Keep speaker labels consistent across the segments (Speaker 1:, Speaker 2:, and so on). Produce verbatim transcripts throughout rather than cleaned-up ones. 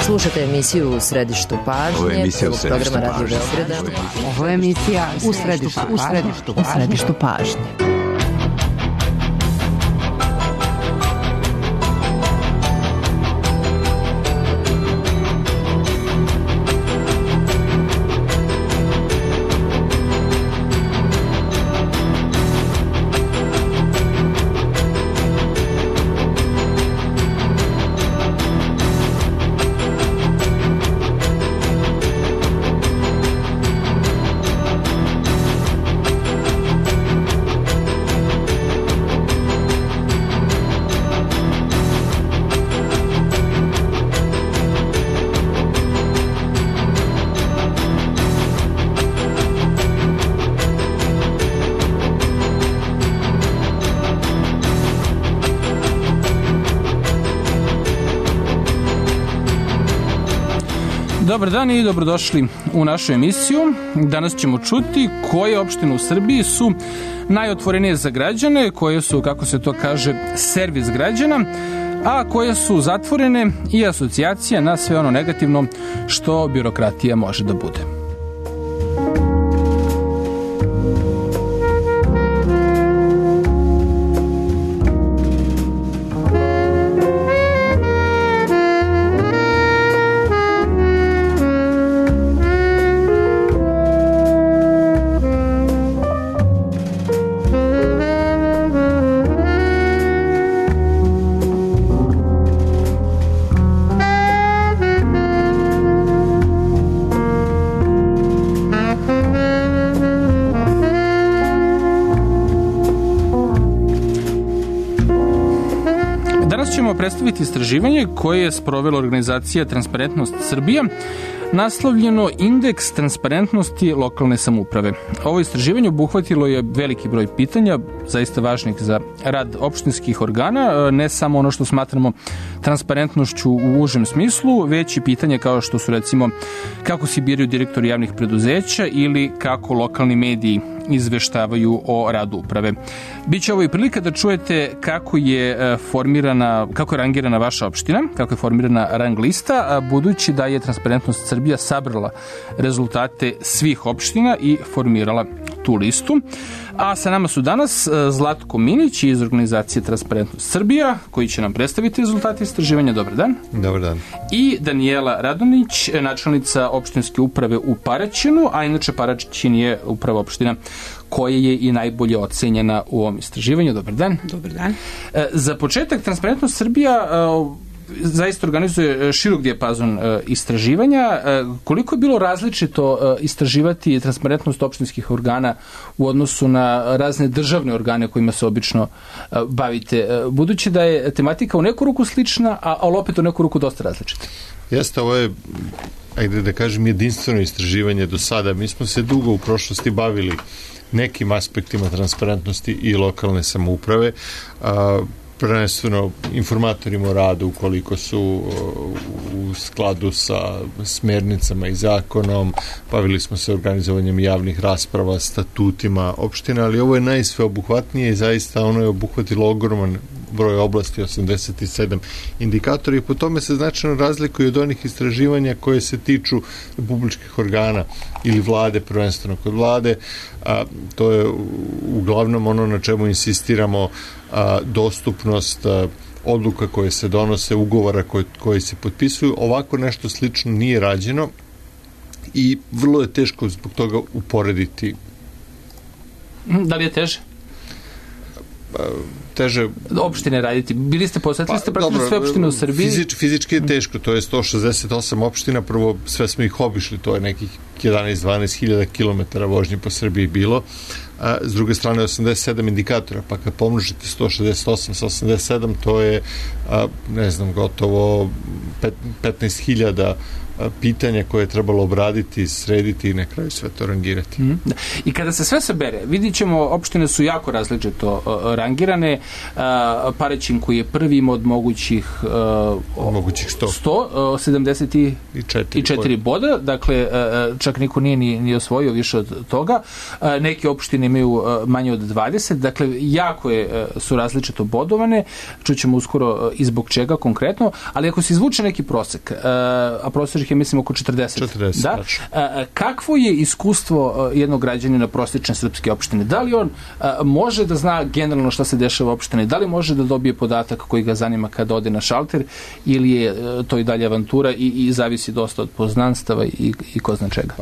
Speaker 1: Slušate emisiju U središtu pažnje, prvog programa Radio Beograda.
Speaker 2: Ovo je emisija U središtu, u središtu, u središtu pažnje.
Speaker 3: Dobar dan i dobrodošli u našu emisiju. Danas ćemo čuti koje opštine u Srbiji su najotvorenije za građane, koje su, kako se to kaže, servis građana, a koje su zatvorene i asocijacija na sve ono negativno što birokratija može da bude. Predstaviti istraživanje koje je sprovela organizacija Transparentnost Srbija, naslovljeno Indeks transparentnosti lokalne samouprave. Ovo istraživanje obuhvatilo je veliki broj pitanja, zaista važnih za rad opštinskih organa, ne samo ono što smatramo transparentnošću u užem smislu, već i pitanja kao što su recimo kako se biraju direktori javnih preduzeća ili kako lokalni mediji izveštavaju o radu uprave. Biće ovo i prilika da čujete kako je formirana, kako je rangirana vaša opština, kako je formirana rang lista, budući da je Transparentnost Srbija sabrala rezultate svih opština i formirala tu listu. A sa nama su danas Zlatko Minić iz organizacije Transparentnost Srbija, koji će nam predstaviti rezultate istraživanja. Dobar dan.
Speaker 4: Dobar dan.
Speaker 3: I Danijela Radonić, načelnica opštinske uprave u Paraćinu, a inače Paraćin je uprava opština koja je i najbolje ocenjena u ovom istraživanju. Dobar dan.
Speaker 2: Dobar dan.
Speaker 3: Za početak, Transparentnost Srbija zaista organizuje širok dijapazon istraživanja. Koliko je bilo različito istraživati transparentnost opštinskih organa u odnosu na razne državne organe kojima se obično bavite? Budući da je tematika u neku ruku slična, ali opet u neku ruku dosta različita.
Speaker 4: Jeste, ovo je, ajde da kažem, jedinstveno istraživanje do sada. Mi smo se dugo u prošlosti bavili nekim aspektima transparentnosti i lokalne samouprave, a prvenstveno informatorima o radu ukoliko su u skladu sa smernicama i zakonom, bavili smo se organizovanjem javnih rasprava, statutima opština, ali ovo je najsveobuhvatnije i zaista ono je obuhvatilo ogroman broj oblasti, osamdeset sedam indikatora, i po tome se značajno razlikuju od onih istraživanja koje se tiču republičkih organa ili vlade, prvenstveno kod vlade. A, to je uglavnom ono na čemu insistiramo, a, dostupnost a, odluka koje se donose, ugovora koji, koji se potpisuju. Ovako nešto slično nije rađeno i vrlo je teško zbog toga uporediti.
Speaker 3: Da li je teže?
Speaker 4: teže
Speaker 3: opštine raditi. Bili ste, posvetili ste praktično sve opštine u Srbiji?
Speaker 4: Fizič, fizički je teško, to je sto šezdeset osam opština, prvo sve smo ih obišli, to je nekih jedanaest do dvanaest hiljada kilometara vožnje po Srbiji bilo. A, s druge strane osamdeset sedam indikatora, pa kad pomnožite sto šezdeset osam sa osamdeset sedam, to je, a, ne znam, gotovo petnaest hiljada pitanja koje je trebalo obraditi, srediti i na kraju sve to rangirati.
Speaker 3: Mm, da. I kada se sve sabere, vidit ćemo, opštine su jako različito uh, rangirane. Uh, Paraćin koji je prvim od mogućih uh,
Speaker 4: mogućih sto,
Speaker 3: sto uh, sedamdeset četiri boda, dakle uh, čak niko nije ni, ni osvojio više od toga. Uh, neke opštine imaju uh, manje od dvadeset, dakle jako je, uh, su različito bodovane, čućemo uskoro uh, i zbog čega konkretno, ali ako se izvuče neki prosek, uh, a prosek je mislim oko četrdeset,
Speaker 4: četrdeset
Speaker 3: da? Uh, kakvo je iskustvo uh, jednog građanina prosječne srpske opštine? Da li on uh, može da zna generalno šta se dešava u opštini? Da li može da dobije podatak koji ga zanima kada ode na šalter ili je uh, to i dalje avantura i, i zavisi dosta od poznanstava i, i ko zna čega?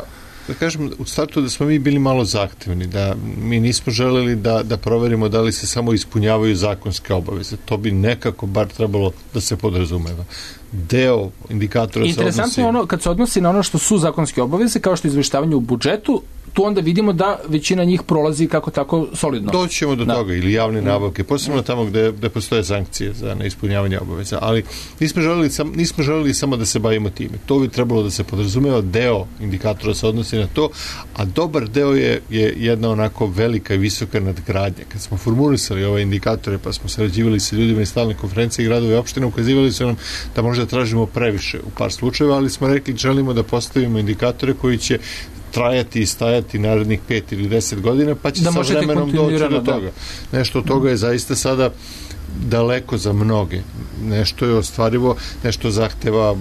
Speaker 4: Da kažem, u startu da smo mi bili malo zahtevni, da mi nismo želeli da, da proverimo da li se samo ispunjavaju zakonske obaveze. To bi nekako bar trebalo da se podrazumeva. Deo indikatora se odnosi...
Speaker 3: Interesantno je ono, kad se odnosi na ono što su zakonske obaveze, kao što je izveštavanje u budžetu, tu onda vidimo da većina njih prolazi kako tako solidno.
Speaker 4: Doćemo do da. toga, ili javne nabavke, posebno tamo gde, gde postoje sankcije za neispunjavanje obaveza, ali nismo želeli, sam, nismo želeli samo da se bavimo time. To bi trebalo da se podrazumeva, deo indikatora se odnosi na to, a dobar deo je, je jedna onako velika i visoka nadgradnja. Kad smo formulisali ove indikatore, pa smo sarađivali sa ljudima iz stalne konferencije i gradove i opštine, ukazivali su nam da možda tražimo previše u par slučajeva, ali smo rekli želimo da postavimo indikatore koji će trajati i stajati narednih pet ili deset godina, pa će da sa vremenom doći do toga. Da. Nešto od toga je zaista sada daleko za mnoge. Nešto je ostvarivo, nešto zahteva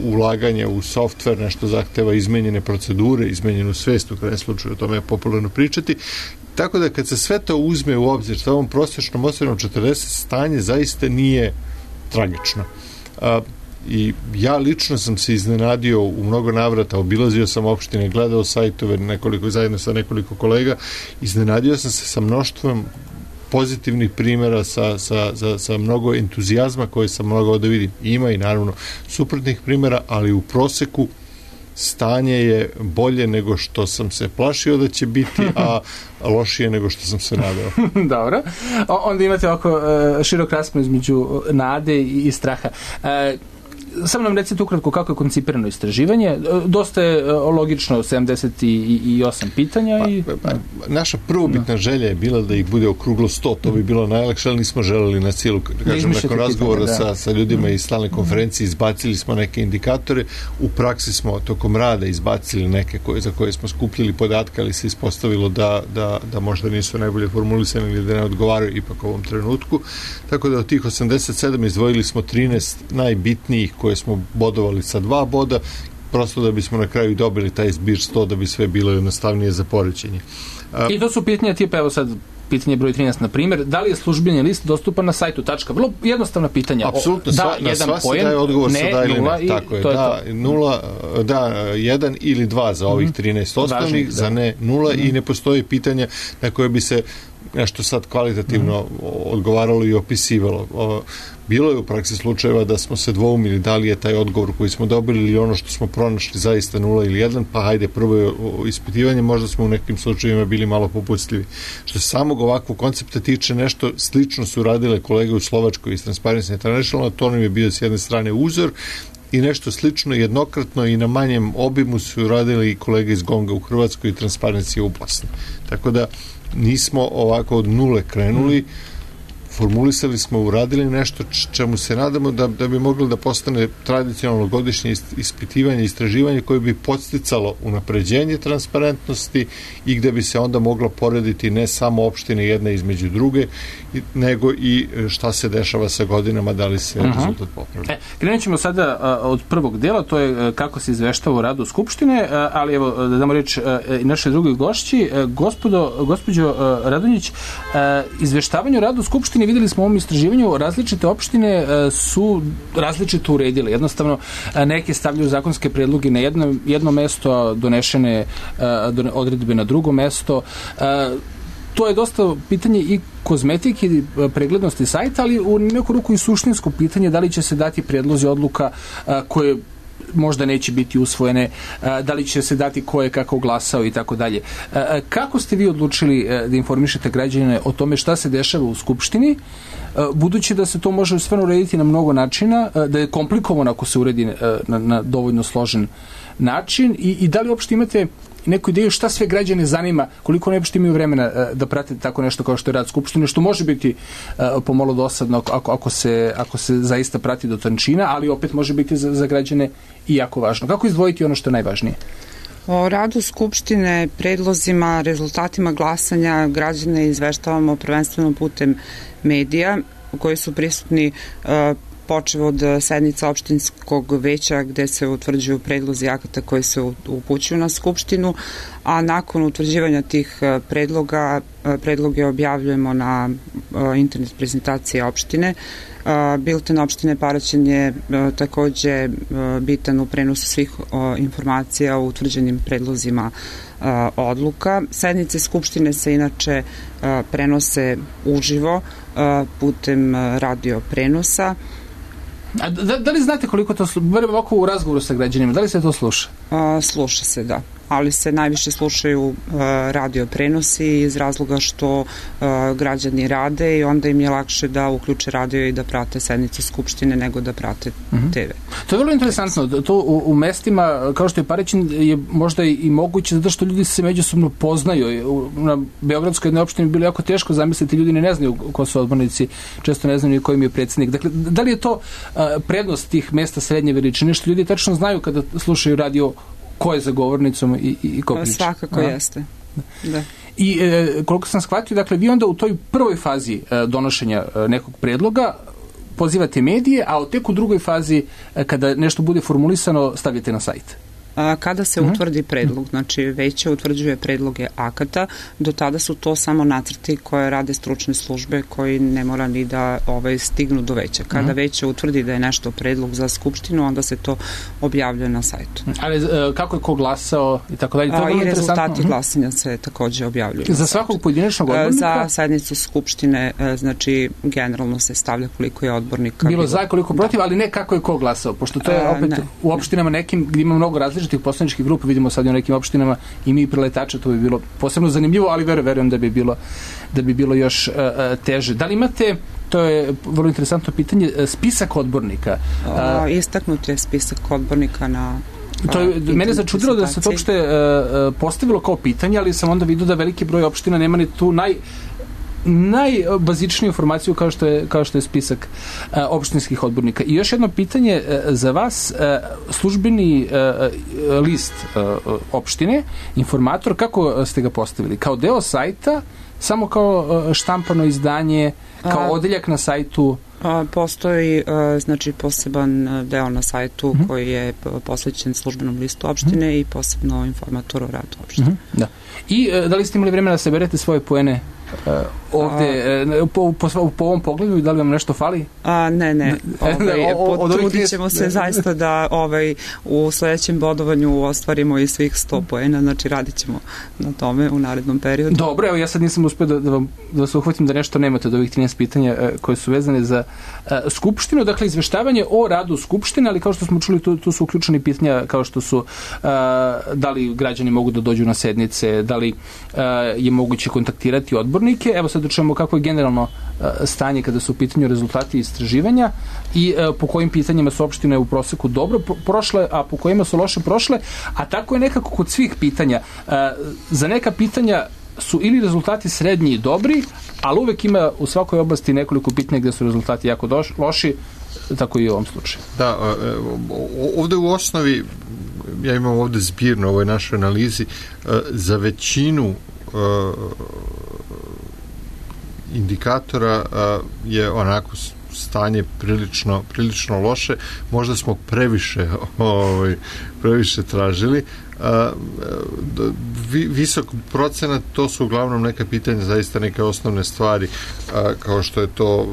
Speaker 4: ulaganje u softver, nešto zahteva izmenjene procedure, izmenjenu svest, u krajem slučaju o tome je popularno pričati. Tako da kad se sve to uzme u obzir sa ovom prosječnom ostavinom četrdeset, stanje zaista nije tragično. A, i ja lično sam se iznenadio u mnogo navrata, obilazio sam opštine, gledao sajtove nekoliko, zajedno sa nekoliko kolega, iznenadio sam se sa mnoštvom pozitivnih primjera, sa, sa, sa, sa mnogo entuzijazma koje sam mogao da vidim. Ima i naravno suprotnih primjera, ali u proseku stanje je bolje nego što sam se plašio da će biti, a lošije nego što sam se nadao.
Speaker 3: Dobro. O, onda imate ovako uh, širok raspon između nade i, i straha. Uh, Samo nam recite ukratko kako je koncipirano istraživanje. Dosta je logično, sedamdeset osam pitanja. Pa, i...
Speaker 4: pa, naša prvobitna želja je bila da ih bude okruglo sto, to bi bilo najlakše, ali nismo želeli na cijelu, kažem, nakon razgovora pitanja, da. sa, sa ljudima iz stalne konferencije, izbacili smo neke indikatore, u praksi smo tokom rada izbacili neke koje, za koje smo skupljili podatke, ali se ispostavilo da, da, da možda nisu najbolje formulisani ili da ne odgovaraju ipak u ovom trenutku. Tako da od tih osamdeset sedam izdvojili smo trinaest najbitnijih koje smo bodovali sa dva boda, prosto da bismo na kraju dobili taj zbir sto, da bi sve bilo jednostavnije za poređenje.
Speaker 3: I to su pitanja tipa, evo sad pitanje broj trinaest, na primjer, da li je službeni list dostupan na sajtu tačka? Vrlo jednostavna pitanja.
Speaker 4: Apsolutno, da, sva, na sva se daje odgovor ne, sa da ili ne. Tako je, da, je nula, da, jedan ili dva za ovih trinaest osnovnih, za ne nula mm-hmm. i ne postoji pitanja na koje bi se nešto sad kvalitativno mm. odgovaralo i opisivalo. O, bilo je u praksi slučajeva da smo se dvoumili da li je taj odgovor koji smo dobili ili ono što smo pronašli zaista nula ili jedan, pa hajde prvo je ispitivanje, možda smo u nekim slučajevima bili malo popustljivi. Što se samog ovakvog koncepta tiče, nešto slično su radile kolege u Slovačkoj iz Transparency International, to nam je bio s jedne strane uzor, i nešto slično jednokratno i na manjem obimu su radili i kolege iz Gonga u Hrvatskoj i Transparency u Bosni. Tako da nismo ovako od nule krenuli, formulisali smo, uradili nešto čemu se nadamo da, da bi mogli da postane tradicionalno godišnje ispitivanje, istraživanje koje bi podsticalo unapređenje transparentnosti i gde bi se onda moglo porediti ne samo opštine jedne između druge, nego i šta se dešava sa godinama, da li se uh-huh. rezultat popravlja.
Speaker 3: E, krenut ćemo sada a, od prvog dela, to je a, kako se izveštava o radu Skupštine, a, ali evo, da damo reč i našoj drugoj gošći. A, gospodo, gospođo a, Radonjić, a, izveštavanje o radu Skupštine, videli smo u ovom istraživanju, različite opštine a, su različito uredile. Jednostavno, a, neke stavljaju zakonske predloge na jedno, jedno mesto, a donešene a, don, odredbe na drugo mesto. A, to je dosta pitanje i kozmetike i preglednosti sajta, ali u neku ruku i suštinsko pitanje da li će se dati predlozi odluka a, koje možda neće biti usvojene, da li će se dati ko je kako glasao i tako dalje. Kako ste vi odlučili da informišete građane o tome šta se dešava u Skupštini, budući da se to može stvarno urediti na mnogo načina, da je komplikovano ako se uredi na, na dovoljno složen način i, i da li uopšte imate neku ideju šta sve građane zanima, koliko ne uopšte imaju vremena da prate tako nešto kao što je rad Skupštine, što može biti pomalo dosadno ako, ako, se, ako se zaista prati do tančina, ali opet može biti za, za građane i jako važno. Kako izdvojiti ono što je najvažnije?
Speaker 5: O radu Skupštine, predlozima, rezultatima glasanja građane izveštavamo prvenstveno putem medija koji su prisutni uh, počev od sednica opštinskog veća gde se utvrđuju predlozi akata koji se upućuju na Skupštinu, a nakon utvrđivanja tih predloga, predloge objavljujemo na internet prezentaciji opštine. Bilten opštine Paraćin je takođe bitan u prenosu svih informacija o utvrđenim predlozima odluka. Sednice Skupštine se inače prenose uživo putem radio prenosa.
Speaker 3: A da, da li znate koliko to sluša, bar ovako u razgovoru sa građanima, da li se to sluša?
Speaker 5: A, sluša se, da. Ali se najviše slušaju a, radio prenosi iz razloga što a, građani rade i onda im je lakše da uključe radio i da prate sednice Skupštine nego da prate mm-hmm. te ve.
Speaker 3: To je vrlo interesantno. To u, u mestima kao što je Paraćin je možda i, i moguće zato što ljudi se međusobno poznaju. U, na Beogradskoj jednoj opštini bilo jako teško zamisliti, ljudi ne znaju ko su odbornici, često ne znaju ni ko im je predsjednik. Dakle, da li je to a, prednost tih mesta srednje veličine, što ljudi tačno znaju kada slušaju radio ko je za govornicom i, i, i ko priča?
Speaker 5: Svakako a? jeste. Da.
Speaker 3: I e, koliko sam shvatio, dakle, vi onda u toj prvoj fazi e, donošenja e, nekog predloga pozivate medije, a tek u drugoj fazi, e, kada nešto bude formulisano, stavljate na sajt.
Speaker 5: Kada se utvrdi predlog, znači veće utvrđuje predloge akata, do tada su to samo nacrti koje rade stručne službe koji ne mora ni da ovaj, stignu do veća. Kada veće utvrdi da je nešto predlog za Skupštinu, onda se to objavljuje na sajtu.
Speaker 3: Ali kako je ko glasao i tako dalje?
Speaker 5: To je I rezultati glasanja se takođe objavljuju.
Speaker 3: Za svakog pojedinačnog odbornika?
Speaker 5: Za sednicu Skupštine, znači generalno se stavlja koliko je odbornika.
Speaker 3: Bilo, bilo za, koliko protiv, da. Ali ne kako je ko glasao, pošto to je opet A, u opštinama nekim gdje ima mnogo različitih tih poslaničkih grupa, vidimo sad u nekim opštinama i mi preletača, to bi bilo posebno zanimljivo, ali verujem, verujem da bi bilo da bi bilo još uh, teže. Da li imate, to je vrlo interesantno pitanje, spisak odbornika?
Speaker 5: O, istaknut je spisak odbornika na
Speaker 3: To je, mene začudilo da se to uopšte uh, postavilo kao pitanje, ali sam onda vidio da veliki broj opština nema ni tu naj najbazičniju informaciju kao što je, kao što je spisak uh, opštinskih odbornika. I još jedno pitanje uh, za vas, uh, službeni uh, list uh, opštine, informator, kako ste ga postavili? Kao deo sajta, samo kao uh, štampano izdanje, kao odeljak na sajtu?
Speaker 5: A, postoji uh, znači poseban deo na sajtu mm-hmm. koji je posvećen službenom listu opštine mm-hmm. i posebno informator o radu opštine.
Speaker 3: Mm-hmm. Da. I uh, da li ste imali vremena da saberete svoje poene Uh, ovde, uh, po, po, po ovom pogledu, da li vam nešto fali?
Speaker 5: A, ne, ne. Ovaj, potrudit ćemo se zaista da ovaj, u sledećem bodovanju ostvarimo i svih sto poena, znači radit ćemo na tome u narednom periodu.
Speaker 3: Dobro, evo ja sad nisam uspio da, da, vam, da se uhvatim da nešto nemate od ovih trinaest pitanja uh, koje su vezane za uh, Skupštinu, dakle izveštavanje o radu Skupštine, ali kao što smo čuli, tu, tu su uključeni pitanja kao što su uh, da li građani mogu da dođu na sednice, da li uh, je moguće kontaktirati odbor. Evo sad da čujemo kako je generalno uh, stanje kada su u pitanju rezultati istraživanja i uh, po kojim pitanjima su opštine u proseku dobro prošle, a po kojima su loše prošle, a tako je nekako kod svih pitanja. Uh, za neka pitanja su ili rezultati srednji i dobri, ali uvek ima u svakoj oblasti nekoliko pitanja gde su rezultati jako doš, loši, tako i u ovom slučaju.
Speaker 4: Da, ovde u osnovi, ja imam ovde zbirno u ovoj našoj analizi, za većinu indikatora je onako stanje prilično, prilično loše. Možda smo previše ovaj, previše tražili. Visok procenat, to su uglavnom neka pitanja, zaista neke osnovne stvari, kao što je to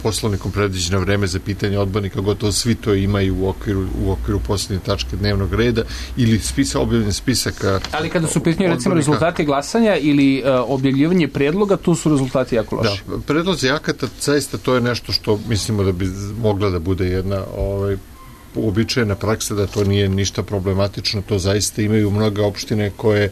Speaker 4: poslovnikom predviđeno vreme za pitanje odbornika, gotovo svi to imaju u okviru, u okviru posljednje tačke dnevnog reda ili spisa, objavljen spisaka. Ali
Speaker 3: kada su pitanje recimo rezultati glasanja ili uh, objavljivanje predloga, tu su rezultati jako loši.
Speaker 4: Da, predlozi akata, zaista to je nešto što mislimo da bi mogla da bude jedna ovaj, uobičajena praksa da to nije ništa problematično, to zaista imaju mnoge opštine koje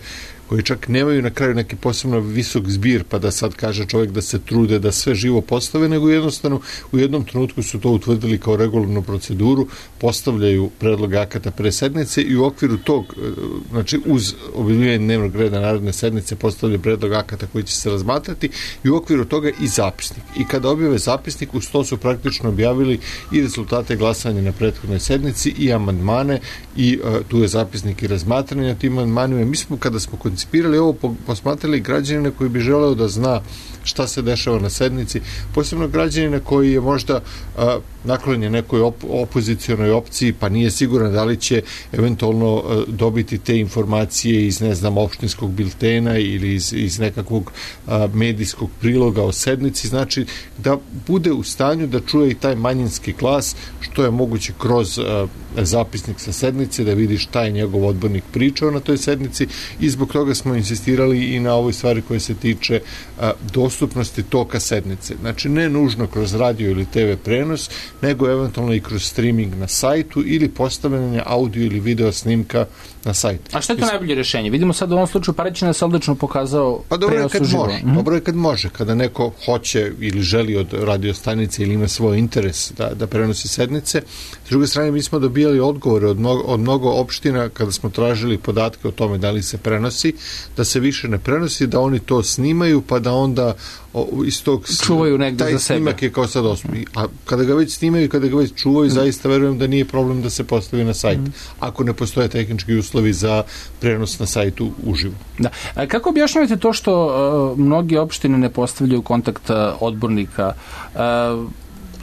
Speaker 4: koji čak nemaju na kraju neki posebno visok zbir, pa da sad kaže čovjek da se trude da sve živo postave, nego jednostavno u jednom trenutku su to utvrdili kao regularnu proceduru, postavljaju predloge akata pre sednice i u okviru tog, znači uz objavljivanje dnevnog reda narodne sednice postavljaju predlog akata koji će se razmatrati i u okviru toga i zapisnik. I kada objave zapisnik, uz to su praktično objavili i rezultate glasanja na prethodnoj sednici i amandmane i uh, tu je zapisnik i razmatranje na tim amandmanima. Mi smo kada smo koncipirali ovo, posmatrali građanina koji bi želeo da zna šta se dešava na sednici, posebno građanina koji je možda a, naklonjen nekoj op opozicionoj opciji, pa nije siguran da li će eventualno a, dobiti te informacije iz, ne znam, opštinskog biltena ili iz, iz nekakvog a, medijskog priloga o sednici, znači da bude u stanju da čuje i taj manjinski glas, što je moguće kroz a, zapisnik sa sednice, da vidi šta je njegov odbornik pričao na toj sednici i zbog toga smo insistirali i na ovoj stvari koje se tiče a, dostupnosti toka sednice. Znači, ne nužno kroz radio ili te ve prenos, nego eventualno i kroz streaming na sajtu ili postavljanje audio ili video snimka na sajtu.
Speaker 3: A što je to najbolje rješenje? Vidimo sad u ovom slučaju Paraćin se odlično pokazao
Speaker 4: pa dobro je kad
Speaker 3: uživo.
Speaker 4: može. Mm-hmm. Dobro je kad može. Kada neko hoće ili želi od radiostanice ili ima svoj interes da, da prenosi sednice. S druge strane, mi smo dobijali odgovore od mnogo, od mnogo opština kada smo tražili podatke o tome da li se prenosi, da se više ne prenosi, da oni to snimaju, pa da onda o, iz tog
Speaker 3: čuvaju negde
Speaker 4: taj
Speaker 3: za sebe.
Speaker 4: Snimak je kao sad osmi. A kada ga već snimaju, kada ga već čuvaju, mm. zaista verujem da nije problem da se postavi na sajt. Mm. Ako ne postoje tehnički uslovi za prenos na sajtu uživo.
Speaker 3: Da. A kako objašnjavate to što uh, mnogi opštine ne postavljaju kontakt uh, odbornika? Uh,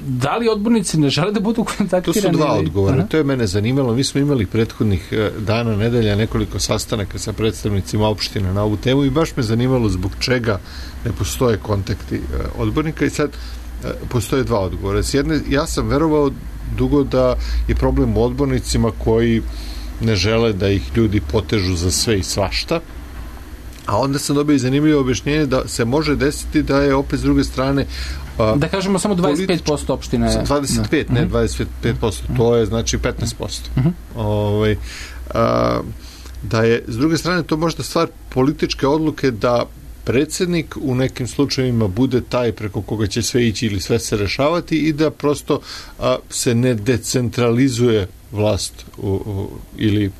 Speaker 3: Da li odbornici ne žele da budu kontaktirani?
Speaker 4: To su dva odgovora. Aha. To je mene zanimalo. Mi smo imali prethodnih dana, nedelja, nekoliko sastanaka sa predstavnicima opštine na ovu temu i baš me zanimalo zbog čega ne postoje kontakti odbornika i sad postoje dva odgovora. S jedne, ja sam verovao dugo da je problem u odbornicima koji ne žele da ih ljudi potežu za sve i svašta, a onda sam dobio i zanimljivo objašnjenje da se može desiti da je opet s druge strane
Speaker 3: a, da kažemo samo dvadeset pet posto opštine.
Speaker 4: dvadeset pet, da. Ne dvadeset pet posto, uh-huh. to je znači petnaest posto. Uh-huh. Ovaj, a, da je s druge strane to možda stvar političke odluke da predsjednik u nekim slučajevima bude taj preko koga će sve ići ili sve se rešavati i da prosto a, se ne decentralizuje vlast u, u, ili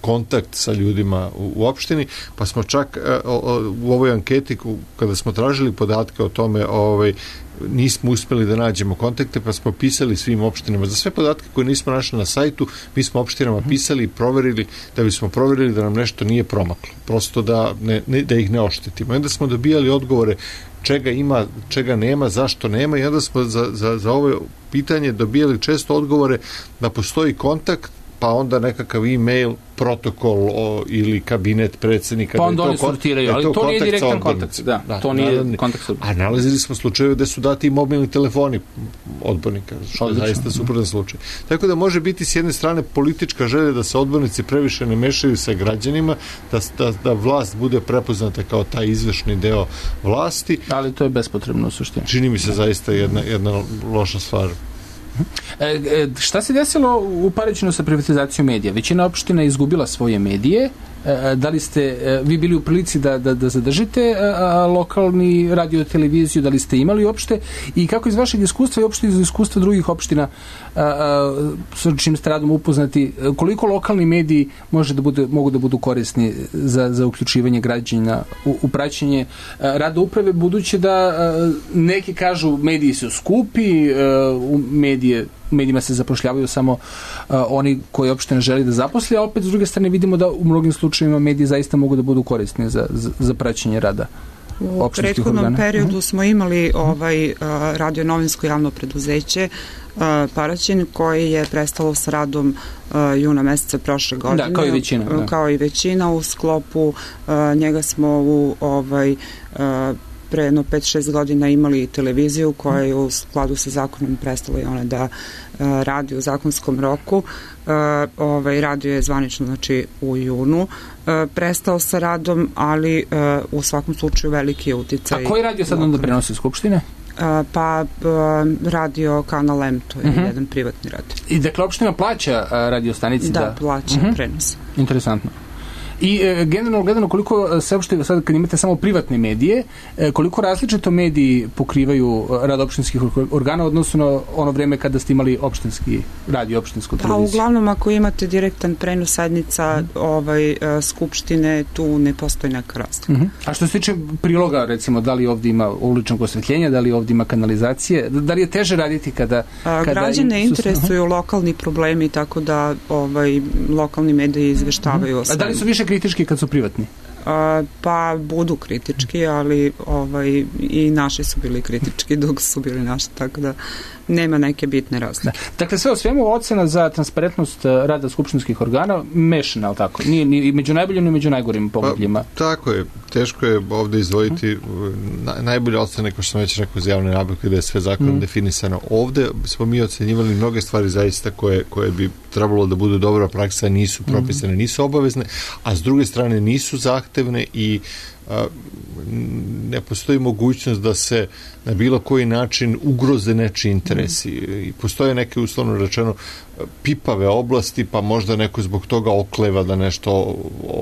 Speaker 4: kontakt sa ljudima u, u opštini, pa smo čak a, o, u ovoj anketi kada smo tražili podatke o tome, ovaj, nismo uspeli da nađemo kontakte, pa smo pisali svim opštinama. Za sve podatke koje nismo našli na sajtu, mi smo opštinama pisali i proverili, da bismo proverili da nam nešto nije promaklo. Prosto da, ne, ne, da ih ne oštetimo. I onda smo dobijali odgovore čega ima, čega nema, zašto nema i onda smo za, za, za ovo pitanje dobijali često odgovore da postoji kontakt, pa onda nekakav e-mail, protokol o, ili kabinet predsjednika.
Speaker 3: Pa onda oni sortiraju, ali to, to nije direktan kontakt. Da, da, to nije naravni, kontakt sa odbornika.
Speaker 4: A nalazili smo slučajeve da su dati i mobilni telefoni odbornika, što je zaista suprotan slučaj. Tako da može biti s jedne strane politička želja da se odbornici previše ne mešaju sa građanima, da, da, da vlast bude prepoznata kao taj izvršni deo vlasti.
Speaker 3: Ali to je bespotrebno u suštini.
Speaker 4: Čini mi se zaista jedna, jedna loša stvar.
Speaker 3: E, e, šta se desilo u Paraćinu sa privatizacijom medija? Većina opština je izgubila svoje medije. E, da li ste e, vi bili u prilici da, da, da zadržite e, a, lokalni radio televiziju, da li ste imali uopšte i kako iz vašeg iskustva i uopšte iz iskustva drugih opština a, a, sa čim ste radom upoznati, koliko lokalni mediji može da bude, mogu da budu korisni za, za uključivanje građana u, u praćenje a, rada uprave, budući da a, neki kažu mediji su skupi, a, u medije u medijima se zapošljavaju samo uh, oni koji uopšte ne želi da zaposli, a opet s druge strane vidimo da u mnogim slučajevima mediji zaista mogu da budu korisni za, za, za praćenje rada.
Speaker 5: U prethodnom organa. periodu uh-huh. smo imali ovaj uh, radio novinsko javno preduzeće uh, Paraćin, koji je prestalo sa radom uh, juna meseca prošle godine.
Speaker 3: Da, kao i većina. Da.
Speaker 5: Kao i većina u sklopu uh, njega smo u ovaj uh, pre jedno pet šest godina imali televiziju koja je u skladu sa zakonom prestala i ona da uh, radi u zakonskom roku. Uh, ovaj, radio je zvanično znači u junu uh, prestao sa radom, ali uh, u svakom slučaju veliki je uticaj.
Speaker 3: A koji radio sad onda prenosi Skupštine?
Speaker 5: Pa radio Kanal M, to je uh-huh. jedan privatni radio.
Speaker 3: I dakle, opština plaća radio stanici?
Speaker 5: Da,
Speaker 3: da...
Speaker 5: plaća uh-huh. prenos.
Speaker 3: Interesantno. I e, generalno gledano, koliko se uopšte, sad kad imate samo privatne medije, e, koliko različito mediji pokrivaju rad opštinskih organa odnosno na ono vreme kada ste imali opštinski radio, opštinsku televiziju?
Speaker 5: Pa uglavnom ako imate direktan prenos sednica mm. ovaj, skupštine, tu ne postoji neka razlika.
Speaker 3: Mm-hmm. A što se tiče priloga, recimo, da li ovdje ima uličnog osvetljenja, da li ovdje ima kanalizacije, da li je teže raditi kada...
Speaker 5: A, kada građane interesuju uh-huh. lokalni problemi, tako da ovaj, lokalni mediji izveštavaju mm-hmm. o svemu.
Speaker 3: A da li su više kritički kad su privatni?
Speaker 5: A, pa budu kritički, ali ovaj, i naši su bili kritički dok su bili naši, tako da nema neke bitne razlike.
Speaker 3: Da. Dakle, sve o svemu ocena za transparentnost rada skupštinskih organa mešana, ali tako? Nije ni među najboljim, ni među najgorim pogledima.
Speaker 4: Pa, tako je. Teško je ovdje izdvojiti na, najbolje ocene, kao što sam već rekao, za javne nabavke, da je sve zakonom mm. definisano. Ovdje smo mi ocenjivali mnoge stvari zaista koje, koje bi trebalo da budu dobra praksa, nisu propisane, nisu obavezne, a s druge strane nisu zahtevne i a, ne postoji mogućnost da se na bilo koji način ugroze nečiji interesi. I postoje neke, uslovno rečeno, pipave oblasti, pa možda neko zbog toga okleva da nešto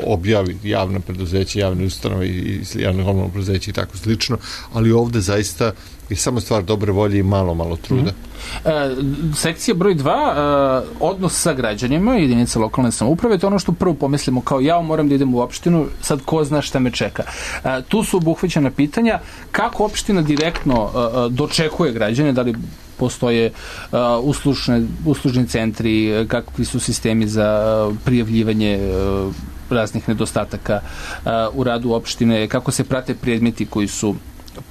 Speaker 4: objavi, javne preduzeće, javne ustanove i javne komunalne preduzeće i tako slično, ali ovdje zaista je samo stvar dobre volje i malo, malo truda.
Speaker 3: Mm. E, sekcija broj dva, e, odnos sa građanima, jedinica lokalne samouprave, to je ono što prvo pomislimo, kao ja moram da idem u opštinu, sad ko zna šta me čeka. E, tu su obuhvaćena pitanja kako opština direktno e, dočekuje građane, da li postoje uh, uslužne, uslužni centri, kakvi su sistemi za uh, prijavljivanje uh, raznih nedostataka uh, u radu opštine, kako se prate predmeti koji su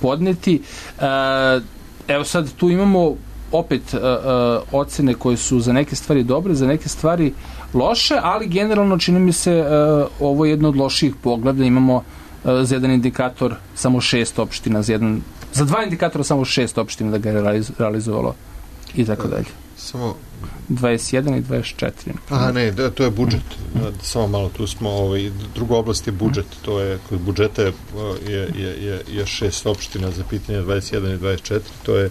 Speaker 3: podneti. Uh, evo sad tu imamo opet uh, uh, ocene koje su za neke stvari dobre, za neke stvari loše, ali generalno čini mi se uh, ovo je jedno od loših pogleda. Imamo uh, za jedan indikator samo šest opština, za jedan za dva indikatora samo šest opština da ga je realizovalo i tako dalje.
Speaker 4: Samo
Speaker 3: dvadeset jedan i dvadeset četiri.
Speaker 4: Aha, ne, da, to je budžet. Samo malo, tu smo, ovaj, druga oblast je budžet. To je, kod budžeta je, je, je, je šest opština za pitanje dvadeset jedan i dvadeset četiri. To je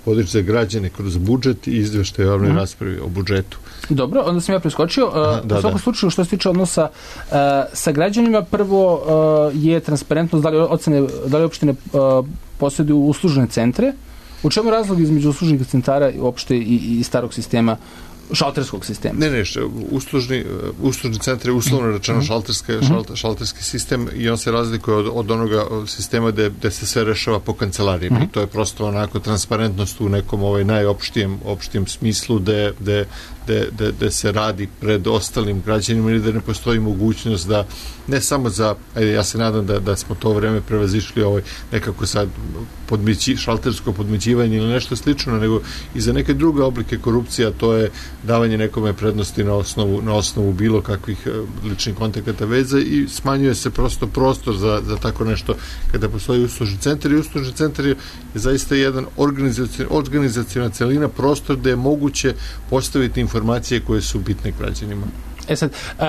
Speaker 4: vodič za građane kroz budžet i izveštaj o javnoj mm. raspravi o budžetu.
Speaker 3: Dobro, onda sam ja preskočio. Aha, da, u svakom da. slučaju, što se tiče odnosa uh, sa građanima, prvo uh, je transparentnost, da li, ocene, da li opštine uh, posjeduju uslužne centre. U čemu je razlog između uslužnih centara uopšte i, i starog sistema, šalterskog sistema?
Speaker 4: Ne, ne, uslužni, uslužni centar je uslovno rečeno šalterski, šalter, šalterski sistem i on se razlikuje od, od onoga sistema gde, gde se sve rešava po kancelarijama. Mm-hmm. I to je prosto onako transparentnost u nekom ovaj najopštijem opštijem smislu gde, gde, gde, gde, gde se radi pred ostalim građanima ili da ne postoji mogućnost da ne samo za, ajde, ja se nadam da, da smo to vreme prevazišli ovaj nekako sad podmići, šaltersko podmićivanje ili nešto slično, nego i za neke druge oblike korupcija, to je davanje nekome prednosti na osnovu, na osnovu bilo kakvih ličnih kontakata veza i smanjuje se prosto prostor za, za tako nešto kada postoji uslužni centar i uslužni centar je zaista jedan organizacijona celina, prostor gde je moguće postaviti informacije koje su bitne građanima.
Speaker 3: E sad, uh,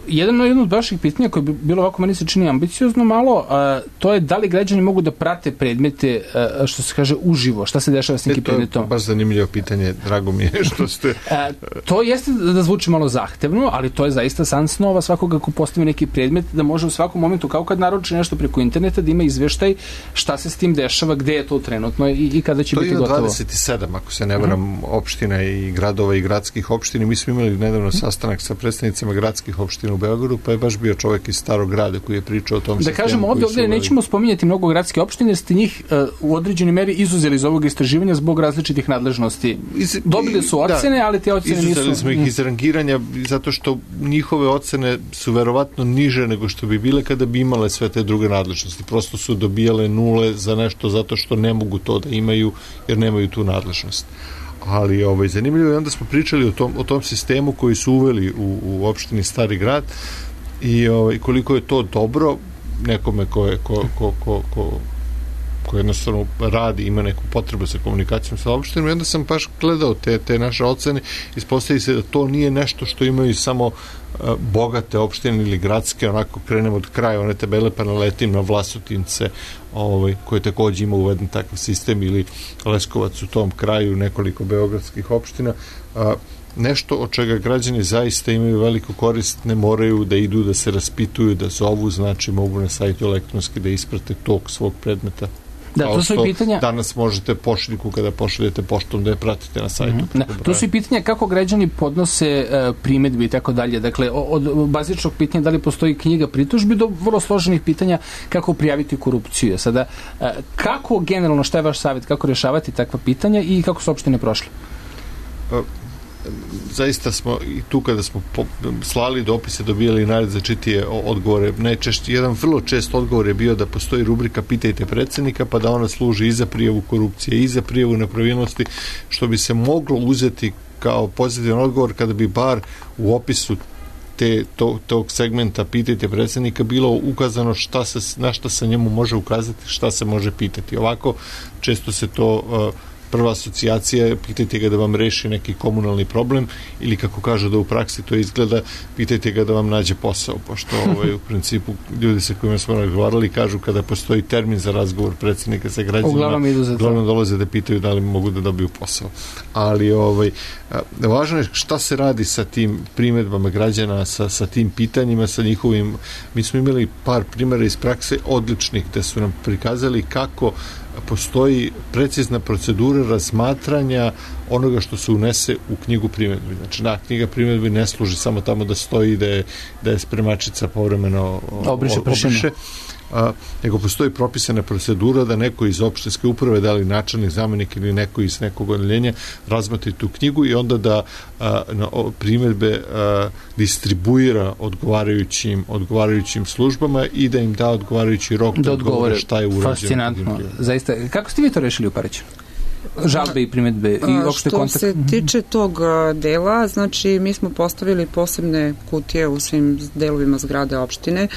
Speaker 3: jedno, jedno od vaših pitanja koje bi bilo ovako, meni se čini ambiciozno malo, uh, to je da li građani mogu da prate predmete, uh, što se kaže, uživo, šta se dešava s nekim predmetom?
Speaker 4: To je baš zanimljivo pitanje, drago mi je što ste...
Speaker 3: uh, to jeste da zvuči malo zahtevno, ali to je zaista san snova svakoga ko postavi neki predmet, da može u svakom momentu, kao kad naruči nešto preko interneta, da ima izveštaj šta se s tim dešava, gde je to trenutno i, i kada će to biti gotovo.
Speaker 4: To je dvadeset sedam, ako se ne varam, uh-huh. opština i gradova i gradskih opština. Mi smo imali nedavno sastanak sa predstavnicima gradskih opština u Beogradu, pa je baš bio čovjek iz Starog grada koji je pričao o tom
Speaker 3: da
Speaker 4: sistemu.
Speaker 3: Da kažemo, ovdje, ovdje nećemo spominjati mnogo gradske opštine, jer ste njih uh, u određenoj meri izuzeli iz ovog istraživanja zbog različitih nadležnosti. Iz, Dobili su ocene, da, ali te ocene nisu...
Speaker 4: Izuzeli smo ih iz rangiranja zato što njihove ocene su verovatno niže nego što bi bile kada bi imale sve te druge nadležnosti. Prosto su dobijale nule za nešto zato što ne mogu to da imaju, jer nemaju tu nadležnost. Ali ovaj, zanimljivo je, onda smo pričali o tom, o tom sistemu koji su uveli u, u opštini Stari grad i ovaj, koliko je to dobro nekome ko, je, ko, ko, ko, ko, koji jednostavno radi, ima neku potrebu sa komunikacijom sa opštinom, i onda sam baš gledao te, te naše ocene, ispostavi se da to nije nešto što imaju samo uh, bogate opštine ili gradske, onako krenemo od kraja one tabele pa naletim na Vlasotince, ovaj, koje takođe ima uveden takav sistem, ili Leskovac u tom kraju, nekoliko beogradskih opština. Uh, nešto od čega građani zaista imaju veliku korist, ne moraju da idu da se raspituju, da zovu, znači mogu na sajtu elektronski da isprate tok svog predmeta.
Speaker 3: Da, to su i pitanja.
Speaker 4: Danas možete pošiljku kada pošaljete poštom da je pratite na sajtu.
Speaker 3: Mm-hmm. Da, to su i pitanja kako građani podnose uh, primedbi i tako dalje. Dakle, od bazičnog pitanja da li postoji knjiga pritužbi do vrlo složenih pitanja kako prijaviti korupciju. Sada, uh, kako generalno, šta je vaš savjet, kako rješavati takva pitanja i kako su opštine prošle?
Speaker 4: Uh, zaista smo i tu kada smo po, slali dopise, dobijali najrazličitije odgovore. Najčešće, jedan vrlo čest odgovor je bio da postoji rubrika Pitajte predsednika, pa da ona služi i za prijavu korupcije i za prijavu nepravilnosti, što bi se moglo uzeti kao pozitivan odgovor kada bi bar u opisu te, to, tog segmenta Pitajte predsednika bilo ukazano šta se, na šta se njemu može ukazati, šta se može pitati. Ovako često se to uh, prva asocijacija, pitajte ga da vam reši neki komunalni problem, ili kako kažu da u praksi to izgleda, pitajte ga da vam nađe posao, pošto ovaj, u principu ljudi sa kojima smo razgovarali kažu kada postoji termin za razgovor predsjednika sa građanima, uglavnom dolaze da pitaju da li mogu da dobiju posao. Ali ovaj, važno je šta se radi sa tim primedbama građana, sa, sa tim pitanjima, sa njihovim, mi smo imali par primjera iz prakse odličnih, gde su nam prikazali kako postoji precizna procedura razmatranja onoga što se unese u knjigu primedbi. Znači, da, knjiga primedbi ne služi samo tamo da stoji da je, da je spremačica povremeno
Speaker 3: obriše,
Speaker 4: obriše a, nego postoji propisana procedura da neko iz opštinske uprave, da li načelnik, zamenik ili neko iz nekog odeljenja razmatri tu knjigu i onda da a, na o, primedbe a, distribuira odgovarajućim, odgovarajućim službama i da im da odgovarajući rok da, da odgovore šta je urađeno.
Speaker 3: Fascinantno. Zaista, kako ste vi to rešili u Paraćinu? Žalbe i primedbe i opšte kontakt?
Speaker 5: Što se tiče tog dela, znači mi smo postavili posebne kutije u svim delovima zgrade opštine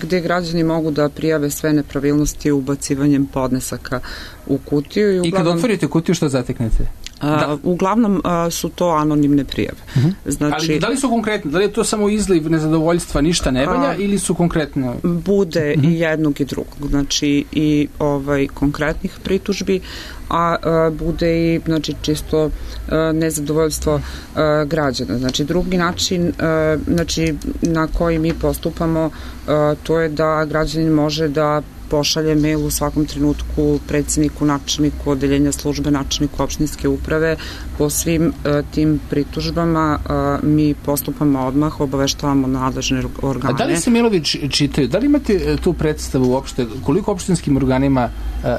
Speaker 5: gde građani mogu da prijave sve nepravilnosti ubacivanjem podnesaka u kutiju. I, uglavnom,
Speaker 3: I kad otvorite kutiju, što zateknete?
Speaker 5: Da. Uglavnom a, su to anonimne prijave. Uh-huh. Znači,
Speaker 3: ali da li su konkretne? Da li je to samo izliv nezadovoljstva, ništa ne valja, a, ili su konkretne?
Speaker 5: Bude uh-huh. i jednog i drugog. Znači i ovaj konkretnih pritužbi, a, a bude i znači čisto a, nezadovoljstvo a, građana. Znači drugi način a, znači na koji mi postupamo a, to je da građanin može da pošalje mail u svakom trenutku predsjedniku, načelniku odeljenja službe, načelniku opštinske uprave. Po svim uh, tim pritužbama uh, mi postupamo odmah, obaveštavamo nadležne organe.
Speaker 3: A da li se mailovi čitaju? Da li imate tu predstavu uopšte koliko opštinskim organima uh, uh,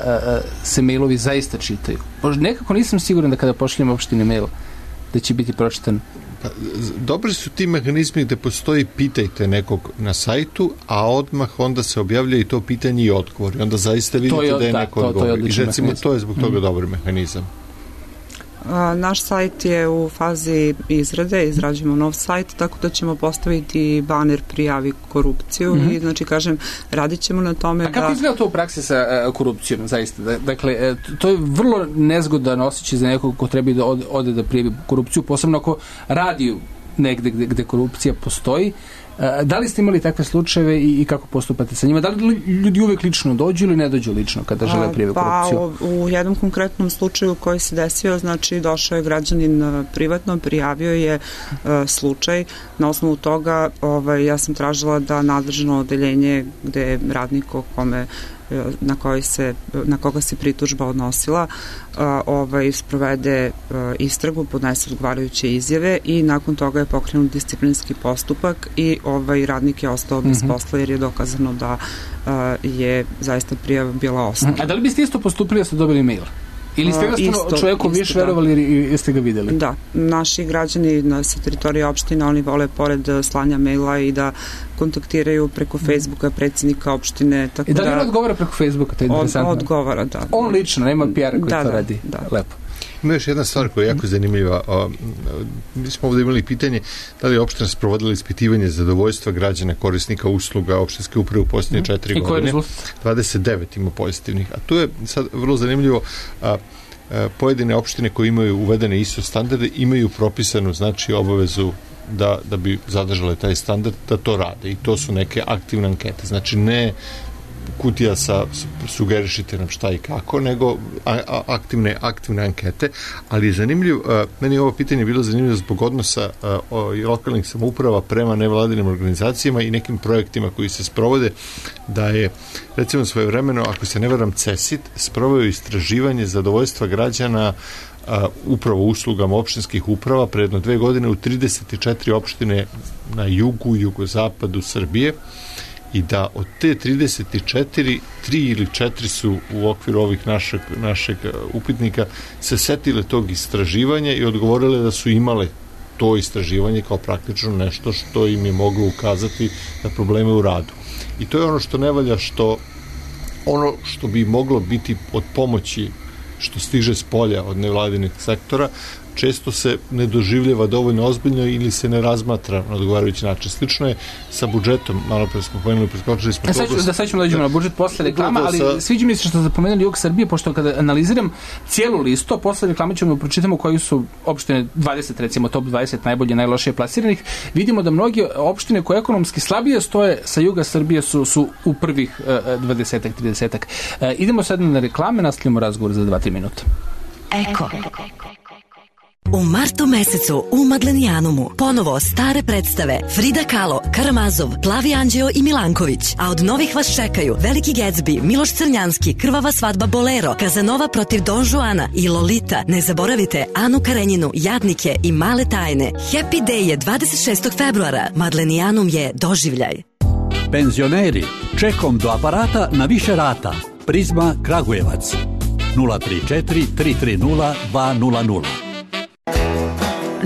Speaker 3: se mailovi zaista čitaju? Nekako nisam siguran da kada pošaljem opštini mail da će biti pročitan.
Speaker 4: Dobri su ti mehanizmi gde postoji pitajte nekog na sajtu, a odmah onda se objavlja i to pitanje i odgovor. I onda zaista vidite je, da je da, neko odgovor. I recimo mehanizam. To je zbog toga mm. dobar mehanizam.
Speaker 5: A, naš sajt je u fazi izrade, izrađujemo nov sajt, tako da ćemo postaviti baner prijavi korupciju mm-hmm. i znači kažem, radit ćemo na tome.
Speaker 3: A kako
Speaker 5: da...
Speaker 3: izgleda to u praksi sa uh, korupcijom, zaista? Dakle, to je vrlo nezgodan osjećaj za nekog ko treba da ode, ode da prijavi korupciju, posebno ako radi negde gde, gde korupcija postoji. Da li ste imali takve slučajeve i, i kako postupate sa njima? Da li ljudi uvek lično dođu ili ne dođu lično kada žele prijave korupciju?
Speaker 5: Pa, u, u jednom konkretnom slučaju koji se desio, znači došao je građanin privatno, prijavio je uh, slučaj. Na osnovu toga ovaj, ja sam tražila da nadležno odeljenje gde je radnik o kome na, koji se, na koga se pritužba odnosila a, ovaj, sprovede a, istragu, podnese odgovarajuće izjave i nakon toga je pokrenut disciplinski postupak i ovaj radnik je ostao bez mm-hmm. posla jer je dokazano da a, je zaista prijava bila osnovna.
Speaker 3: A da li biste isto postupili da ste dobili mail? Ili ste ga čovjeku više verovali i jeste ga videli?
Speaker 5: Da, naši građani na sa teritorije opštine, oni vole pored slanja maila i da kontaktiraju preko Facebooka predsjednika opštine. Tako
Speaker 3: I da li on odgovara preko Facebooka? To je interesantno.
Speaker 5: Od, odgovara, da.
Speaker 3: On lično, nema P R koji
Speaker 5: da,
Speaker 3: to
Speaker 5: da,
Speaker 3: radi.
Speaker 5: Da.
Speaker 3: Lepo.
Speaker 4: Ima još jedna stvar koja je jako zanimljiva. O, mi smo ovdje imali pitanje da li je opština sprovodila ispitivanje zadovoljstva građana korisnika usluga opštinske uprave u posljednje mm. četiri godine. dvadeset devet ima pozitivnih. A tu je sad vrlo zanimljivo, a, a, pojedine opštine koje imaju uvedene I S O standarde imaju propisanu, znači, obavezu da, da bi zadržale taj standard, da to rade. I to su neke aktivne ankete. Znači, ne kutija sa sugerišite nam šta i kako, nego a, a, aktivne, aktivne ankete, ali je zanimljiv, a, meni je ovo pitanje bilo zanimljivo zbog odnosa a, o, lokalnih samouprava prema nevladinim organizacijama i nekim projektima koji se sprovode, da je, recimo, svojevremeno, ako se ne varam, CESIT sproveo istraživanje zadovoljstva građana a, upravo uslugama opštinskih uprava pre jedno dve godine u trideset četiri opštine na jugu, jugozapadu Srbije, i da od te trideset četiri, tri ili četiri su u okviru ovih našeg, našeg upitnika se setile tog istraživanja i odgovorile da su imale to istraživanje kao praktično nešto što im je moglo ukazati na probleme u radu. I to je ono što ne valja, što ono što bi moglo biti od pomoći što stiže s polja od nevladinih sektora, često se ne doživljava dovoljno ozbiljno ili se ne razmatra na odgovarajući način. Slično je sa budžetom, malo pre smo pomenuli, preskočili smo
Speaker 3: to. Da sad ćemo dođemo na budžet posle reklama, ali sa... sviđa mi se što ste pomenuli jug Srbije, pošto kada analiziram cijelu listu, posle reklame ćemo pročitamo koji su opštine dvadeset, recimo top dvadeset najbolje, najlošije plasiranih, vidimo da mnogi opštine koje ekonomski slabije stoje sa juga Srbije su, su u prvih dvadesetak, tridesetak. Idemo sad na reklame, nastavljamo razgovor za dva tri minuta.
Speaker 6: Eko. U martu mesecu u Maglenijanumu ponovo stare predstave Frida Kahlo, Karamazov, Plavi Anđeo i Milanković. A od novih vas čekaju Veliki Gatsby, Miloš Crnjanski, Krvava svadba Bolero, Kazanova protiv Don Juana i Lolita. Ne zaboravite Anu Karenjinu, Jadnike i Male tajne. Happy Day je dvadeset šestog februara. Maglenijanum je doživljaj.
Speaker 7: Penzioneri, čekom do aparata na više rata. Prizma Kragujevac. nula tri četiri tri tri nula dva nula nula.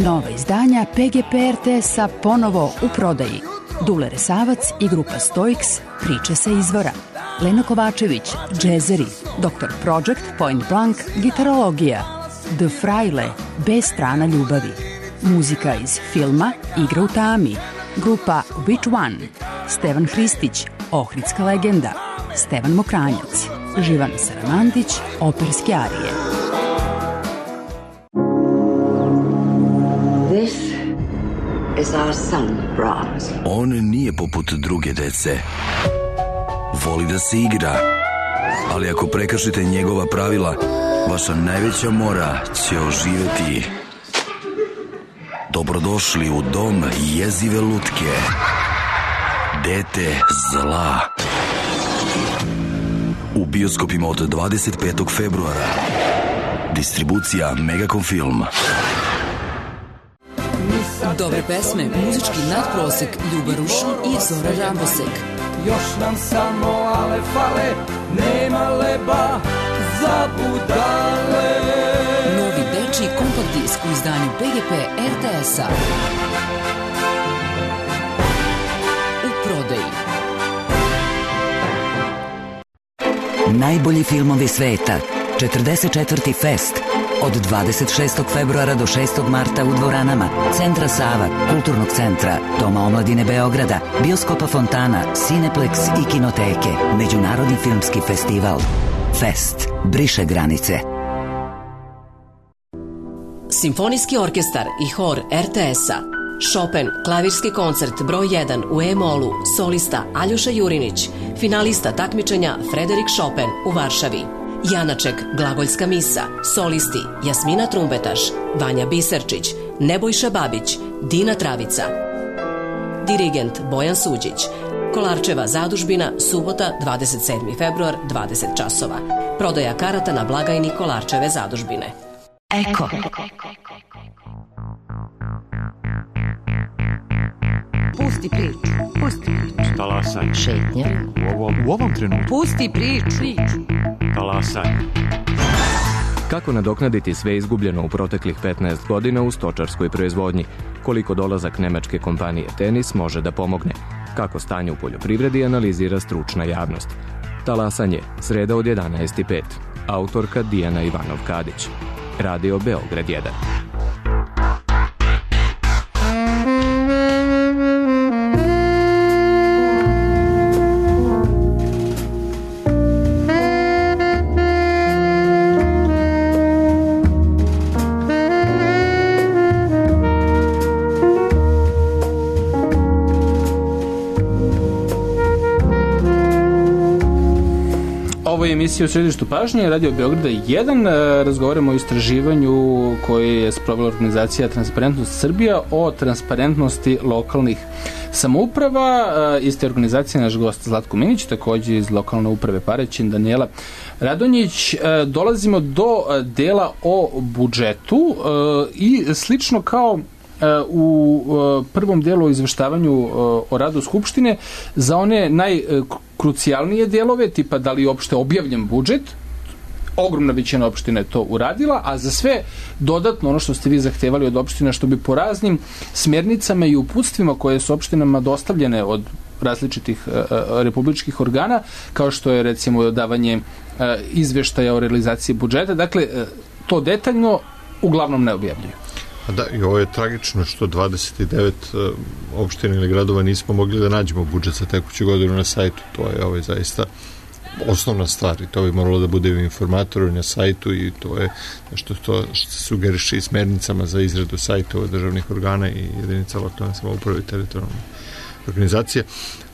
Speaker 2: Nova izdanja P G P R T S-a ponovo u prodaji. Dule Resavac i grupa Stoiks, Priče sa izvora. Lena Kovačević, džezeri. doktor Project, Point Blank, gitarologija. The Fraile, B strana ljubavi. Muzika iz filma Igra u tami. Grupa Which One. Stevan Hristić, Ohridska legenda. Stevan Mokranjac. Živan Saramandić, operske arije.
Speaker 8: This is our son, Brahms.
Speaker 9: On nije poput druge dece. Voli da se igra, ali ako prekršite njegova pravila, vaša najveća mora će oživeti. Dobrodošli u dom jezive lutke. Dete zla. U bioskopima od dvadeset petog februara. Distribucija Megacom Film.
Speaker 10: Dobre pesme, muzički nadprosek, Ljuba Rušin i Zora Rambosek.
Speaker 11: Još nam samo ale fale, nema leba za budale.
Speaker 10: Novi dečiji kompakt disk u izdanju P G P R T S-a. U prodaji.
Speaker 6: Najbolji filmovi sveta. četrdeset četvrti Fest. Od dvadeset šestog februara do šestog marta u dvoranama Centra Sava, Kulturnog centra, Doma omladine Beograda, Bioskopa Fontana, Cineplex i Kinoteke. Međunarodni filmski festival. Fest. Briše granice.
Speaker 10: Simfonijski orkestar i hor R T S-a. Chopin, klavirski koncert broj jedan u E-molu, solista Aljoša Jurinić, finalista takmičenja Frederik Chopin u Varšavi. Janaček, glagoljska misa, solisti Jasmina Trumbetaš, Vanja Biserčić, Nebojša Babić, Dina Travica. Dirigent Bojan Suđić. Kolarčeva zadužbina, subota, dvadeset sedmi februar, dvadeset časova. Prodaja karata na blagajni Kolarčeve zadužbine.
Speaker 6: Eko.
Speaker 2: Pusti priču, pusti priču.
Speaker 12: Talasaj.
Speaker 2: Šetnja.
Speaker 12: U ovom, u ovom trenutku.
Speaker 2: Pusti priču.
Speaker 12: Talasaj.
Speaker 13: Kako nadoknaditi sve izgubljeno u proteklih petnaest godina u stočarskoj proizvodnji? Koliko dolazak nemačke kompanije Tenis može da pomogne? Kako stanje u poljoprivredi analizira stručna javnost? Talasanje, sreda od jedanaest i pet. Autorka Dijana Ivanov-Kadić. Radio Beograd jedan.
Speaker 3: Emisija u središtu pažnje, Radio Beograda jedan. Razgovaramo o istraživanju koje je sprovela organizacija Transparentnost Srbija o transparentnosti lokalnih samouprava. Iste organizacije naš gost Zlatko Minić, takođe iz lokalne uprave Paraćin, Danijela Radonjić. Dolazimo do dela o budžetu i slično kao u prvom delu o izveštavanju o radu Skupštine, za one najkrucijalnije delove, tipa da li je uopšte objavljen budžet, ogromna većina opština je to uradila, a za sve dodatno ono što ste vi zahtevali od opština, što bi po raznim smernicama i uputstvima koje su opštinama dostavljene od različitih republičkih organa, kao što je recimo davanje izveštaja o realizaciji budžeta, dakle to detaljno uglavnom ne objavljuju.
Speaker 4: Da, i ovo je tragično što dvadeset devet uh, opština ili gradova nismo mogli da nađemo budžet za tekuću godinu na sajtu. To je ovo je zaista osnovna stvar i to bi moralo da bude u informatoru na sajtu i to je nešto to što se sugeriše i smernicama za izradu sajtova državnih organa i jedinica lokalne samouprave i teritorijalne organizacije.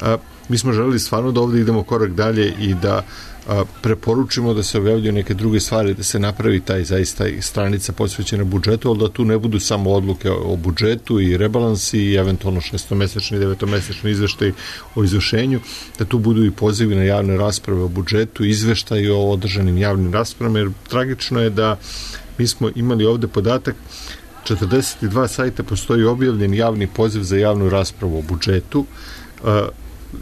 Speaker 4: Uh, mi smo želeli stvarno da ovde idemo korak dalje i da a, preporučimo da se objavljuju neke druge stvari, da se napravi taj zaista stranica posvećena budžetu, ali da tu ne budu samo odluke o budžetu i rebalansi i eventualno šestomesečni i devetomesečni izveštaj o izvršenju, da tu budu i pozivi na javne rasprave o budžetu, izveštaj o održanim javnim raspravama, jer tragično je da mi smo imali ovde podatak četrdeset dva sajta postoji objavljen javni poziv za javnu raspravu o budžetu.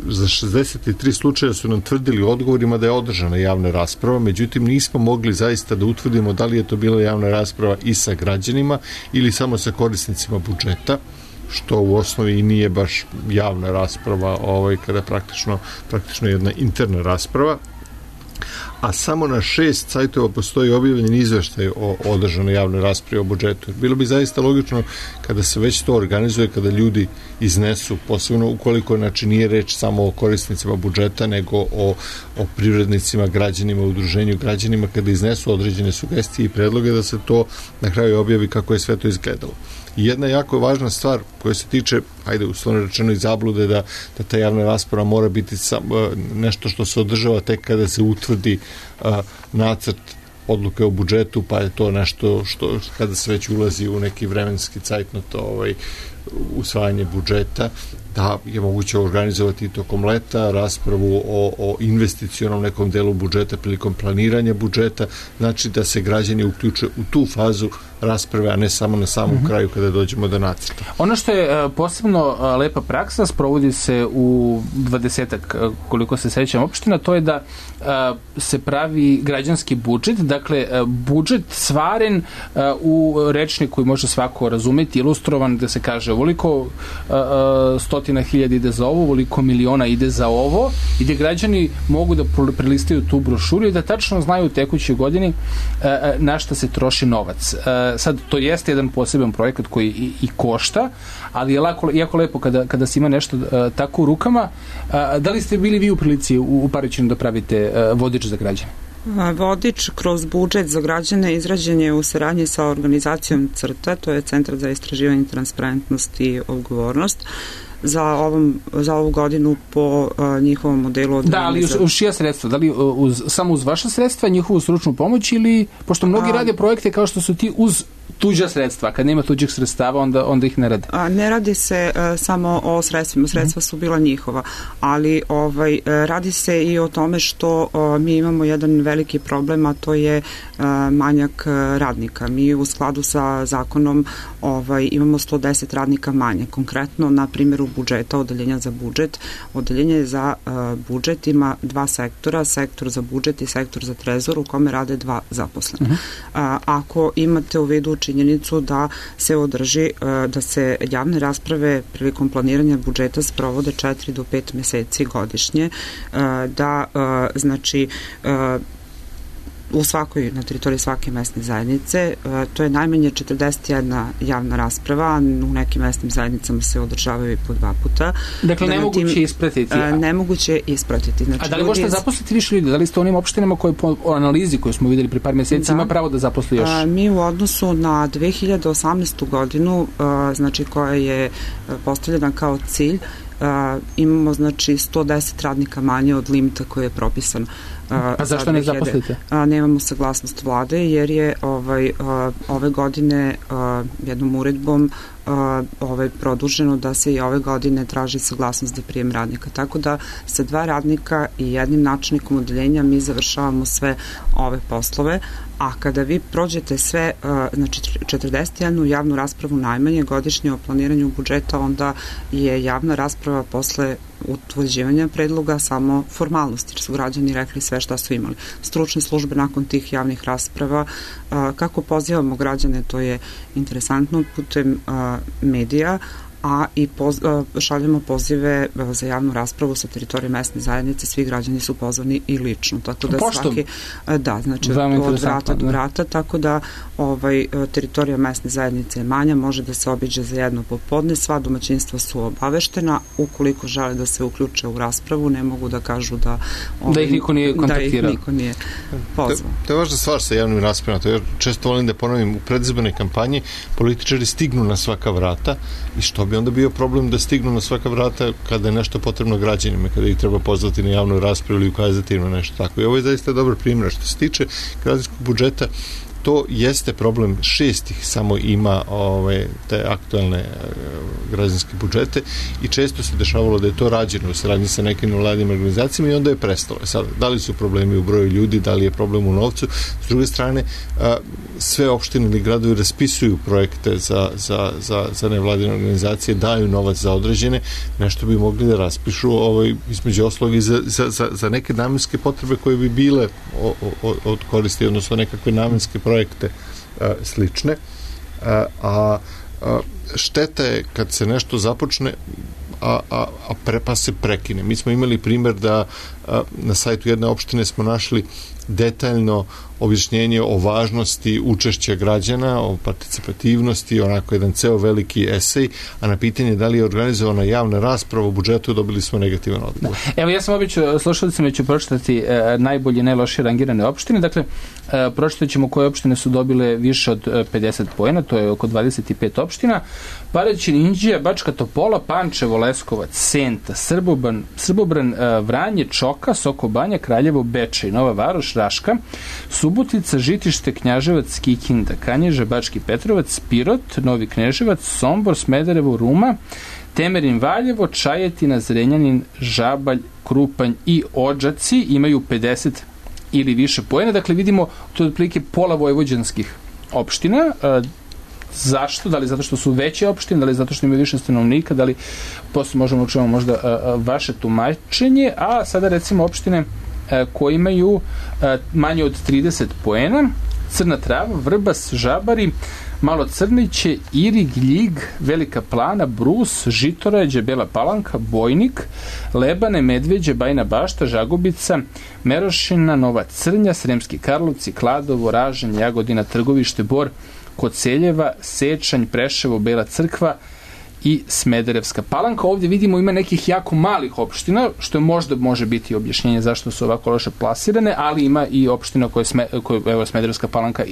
Speaker 4: Za šezdeset tri slučaja su nam tvrdili odgovorima da je održana javna rasprava, međutim nismo mogli zaista da utvrdimo da li je to bila javna rasprava i sa građanima ili samo sa korisnicima budžeta, što u osnovi i nije baš javna rasprava, ovaj, kada praktično, praktično jedna interna rasprava. A samo na šest sajtova postoji objavljen izveštaj o održanoj javnoj raspravi o budžetu. Bilo bi zaista logično kada se već to organizuje, kada ljudi iznesu, posebno ukoliko znači nije reč samo o korisnicima budžeta, nego o, o privrednicima, građanima, udruženju građanima, kada iznesu određene sugestije i predloge, da se to na kraju objavi kako je sve to izgledalo. I jedna jako važna stvar koja se tiče, ajde, uslovno rečeno i zablude, da, da ta javna rasprava mora biti sam, nešto što se održava tek kada se utvrdi a, nacrt odluke o budžetu, pa je to nešto što kada se već ulazi u neki vremenski cajtnot ovaj, usvajanje budžeta, da je moguće organizovati tokom leta raspravu o, o investicionom nekom delu budžeta prilikom planiranja budžeta, znači da se građani uključe u tu fazu rasprave, a ne samo na samom mm-hmm. kraju kada dođemo do nacrta.
Speaker 3: Ono što je posebno lepa praksa, sprovodi se u dvadesetak, koliko se sećam, opština, to je da se pravi građanski budžet, dakle budžet svaren u rečniku koji može svako razumeti, ilustrovan, da se kaže ovoliko stotina hiljada ide za ovo, ovoliko miliona ide za ovo, i gde građani mogu da prelistaju tu brošuru i da tačno znaju u tekućoj godini na šta se troši novac. Sad, to jeste jedan poseban projekat koji i, i košta, ali je lako, jako lepo kada, kada se ima nešto uh, tako u rukama. Uh, da li ste bili vi u prilici u, u Paraćinu da pravite uh, vodič za građane?
Speaker 5: Vodič kroz budžet za građane izrađen je u saradnji sa organizacijom CRTA, to je Centar za istraživanje, transparentnost i odgovornost, za, ovom, za ovu godinu po uh, njihovom modelu.
Speaker 3: Da, ali uz, uz čija sredstva? Da li uz, samo uz vaša sredstva, njihovu stručnu pomoć, ili, pošto mnogi A, rade projekte kao što su ti uz tuđa sredstva, kad nema tuđih sredstava, onda, onda ih ne rade.
Speaker 5: A, ne radi se uh, samo o sredstvima, sredstva su bila njihova, ali ovaj, radi se i o tome što uh, mi imamo jedan veliki problem, a to je uh, manjak radnika. Mi u skladu sa zakonom ovaj, imamo sto deset radnika manje. Konkretno, na primjeru budžeta, odeljenja za budžet, odeljenje za uh, budžet ima dva sektora, sektor za budžet i sektor za trezor, u kome rade dva zaposlena. Uh-huh. Uh, ako imate u vidu činjenicu da se održi, da se javne rasprave prilikom planiranja budžeta sprovode četiri do pet meseci godišnje, da znači u svakoj, na teritoriji svake mesne zajednice. To je najmanje četrdeset jedna javna rasprava, u nekim mesnim zajednicama se održavaju i po dva puta.
Speaker 3: Dakle, da nemoguće tim, ispratiti.
Speaker 5: A, nemoguće ispratiti. Znači,
Speaker 3: a da li možete iz... zaposliti više ljudi? Da li ste onim opštinama koje po analizi koju smo videli pri par mjeseci da. ima pravo da zaposli još?
Speaker 5: A, mi u odnosu na dve hiljade osamnaestu godinu, a, znači koja je postavljena kao cilj, Uh, imamo znači sto deset radnika manje od limita koji je propisan. Uh,
Speaker 3: a zašto ne zaposlite?
Speaker 5: Uh, nemamo saglasnost vlade jer je ovaj, uh, ove godine uh, jednom uredbom uh, ovaj, produženo da se i ove godine traži saglasnost za prijem radnika. Tako da sa dva radnika i jednim načelnikom odeljenja mi završavamo sve ove poslove, a kada vi prođete sve, uh, znači četrdeset jednu javnu raspravu najmanje godišnje o planiranju budžeta, onda je javna rasprava posle utvrđivanja predloga samo formalnosti, jer su građani rekli sve šta su imali. Stručne službe nakon tih javnih rasprava, uh, kako pozivamo građane, to je interesantno, putem uh, medija, a i poz, šaljemo pozive za javnu raspravu sa teritorije mesne zajednice, svi građani su pozvani i lično, tako da
Speaker 3: Pošto?
Speaker 5: svaki da, znači od vrata do vrata, tako da ovaj, teritorija mesne zajednice je manja, može da se obiđe za jedno popodne, sva domaćinstva su obaveštena, ukoliko žele da se uključe u raspravu, ne mogu da kažu da
Speaker 3: ovaj, da ih niko nije kontaktirao.
Speaker 5: Da ih niko nije pozvao.
Speaker 4: To, to je važna stvar sa javnim raspravama, to je često volim da ponovim, u predizbornoj kampanji političari stignu na svaka vrata i što bi onda bio problem da stignu na svaka vrata kada je nešto potrebno građanima, kada ih treba pozvati na javnu raspravu ili ukazati na nešto tako. I ovo je zaista dobar primjer. Što se tiče građanskog budžeta, to jeste problem, šestih samo ima ove, te aktualne e, građanske budžete i često se dešavalo da je to rađeno u saradnji sa nekim nevladinim organizacijama i onda je prestalo. Sad, da li su problemi u broju ljudi, da li je problem u novcu? S druge strane, a, sve opštine ili gradovi raspisuju projekte za, za, za, za nevladine organizacije, daju novac za određene, nešto bi mogli da raspišu ovaj, između oslovi za, za, za, za neke namenske potrebe koje bi bile o, o, od koristi, odnosno nekakve namenske projekte a, slične, a, a, a šteta je kad se nešto započne a, a, a pre, pa se prekine. Mi smo imali primjer da a, na sajtu jedne opštine smo našli detaljno objašnjenje o važnosti učešća građana, o participativnosti, onako jedan ceo veliki esej, a na pitanje da li je organizovana javna rasprava u budžetu dobili smo negativan odgovor.
Speaker 3: Evo, ja sam obično, slušalicama ću pročitati e, najbolje i najlošije rangirane opštine. Dakle, e, pročitat ćemo koje opštine su dobile više od e, pedeset poena, to je oko dvadeset pet opština. Paraćin, Inđija, Bačka Topola, Pančevo, Leskovac, Senta, Srbobran, Srbobran e, Vranje, Čoka, Sokobanja, Kraljevo, Bečej, Nova Varoš, Raška, Subotica, Žitište, Knjaževac, Kikinda, Kanjiža, Bački Petrovac, Pirot, Novi Kneževac, Sombor, Smederevo, Ruma, Temerin, Valjevo, Čajetina, Zrenjanin, Žabalj, Krupanj i Odžaci imaju pedeset ili više poena. Dakle, vidimo to je otprilike pola vojvođanskih opština. Zašto? Da li zato što su veće opštine, da li zato što imaju više stanovnika, da li posle možemo čujemo možda vaše tumačenje, a sada recimo opštine koji imaju manje od trideset poena: Crna Trava, Vrbas, Žabari, Malo Crniće, Irig, Ljig, Velika Plana, Brus, Žitorađe, Bela Palanka, Bojnik, Lebane, Medveđe, Bajna Bašta, Žagubica, Merošina, Nova Crnja, Sremski Karlovci, Kladovo, Ražanj, Jagodina, Trgovište, Bor, Koceljeva, Sečanj, Preševo, Bela Crkva i Smederevska Palanka. Ovdje vidimo ima nekih jako malih opština, što je možda može biti objašnjenje zašto su ovako loše plasirane, ali ima i opština koje, sme, koje evo, Smederevska Palanka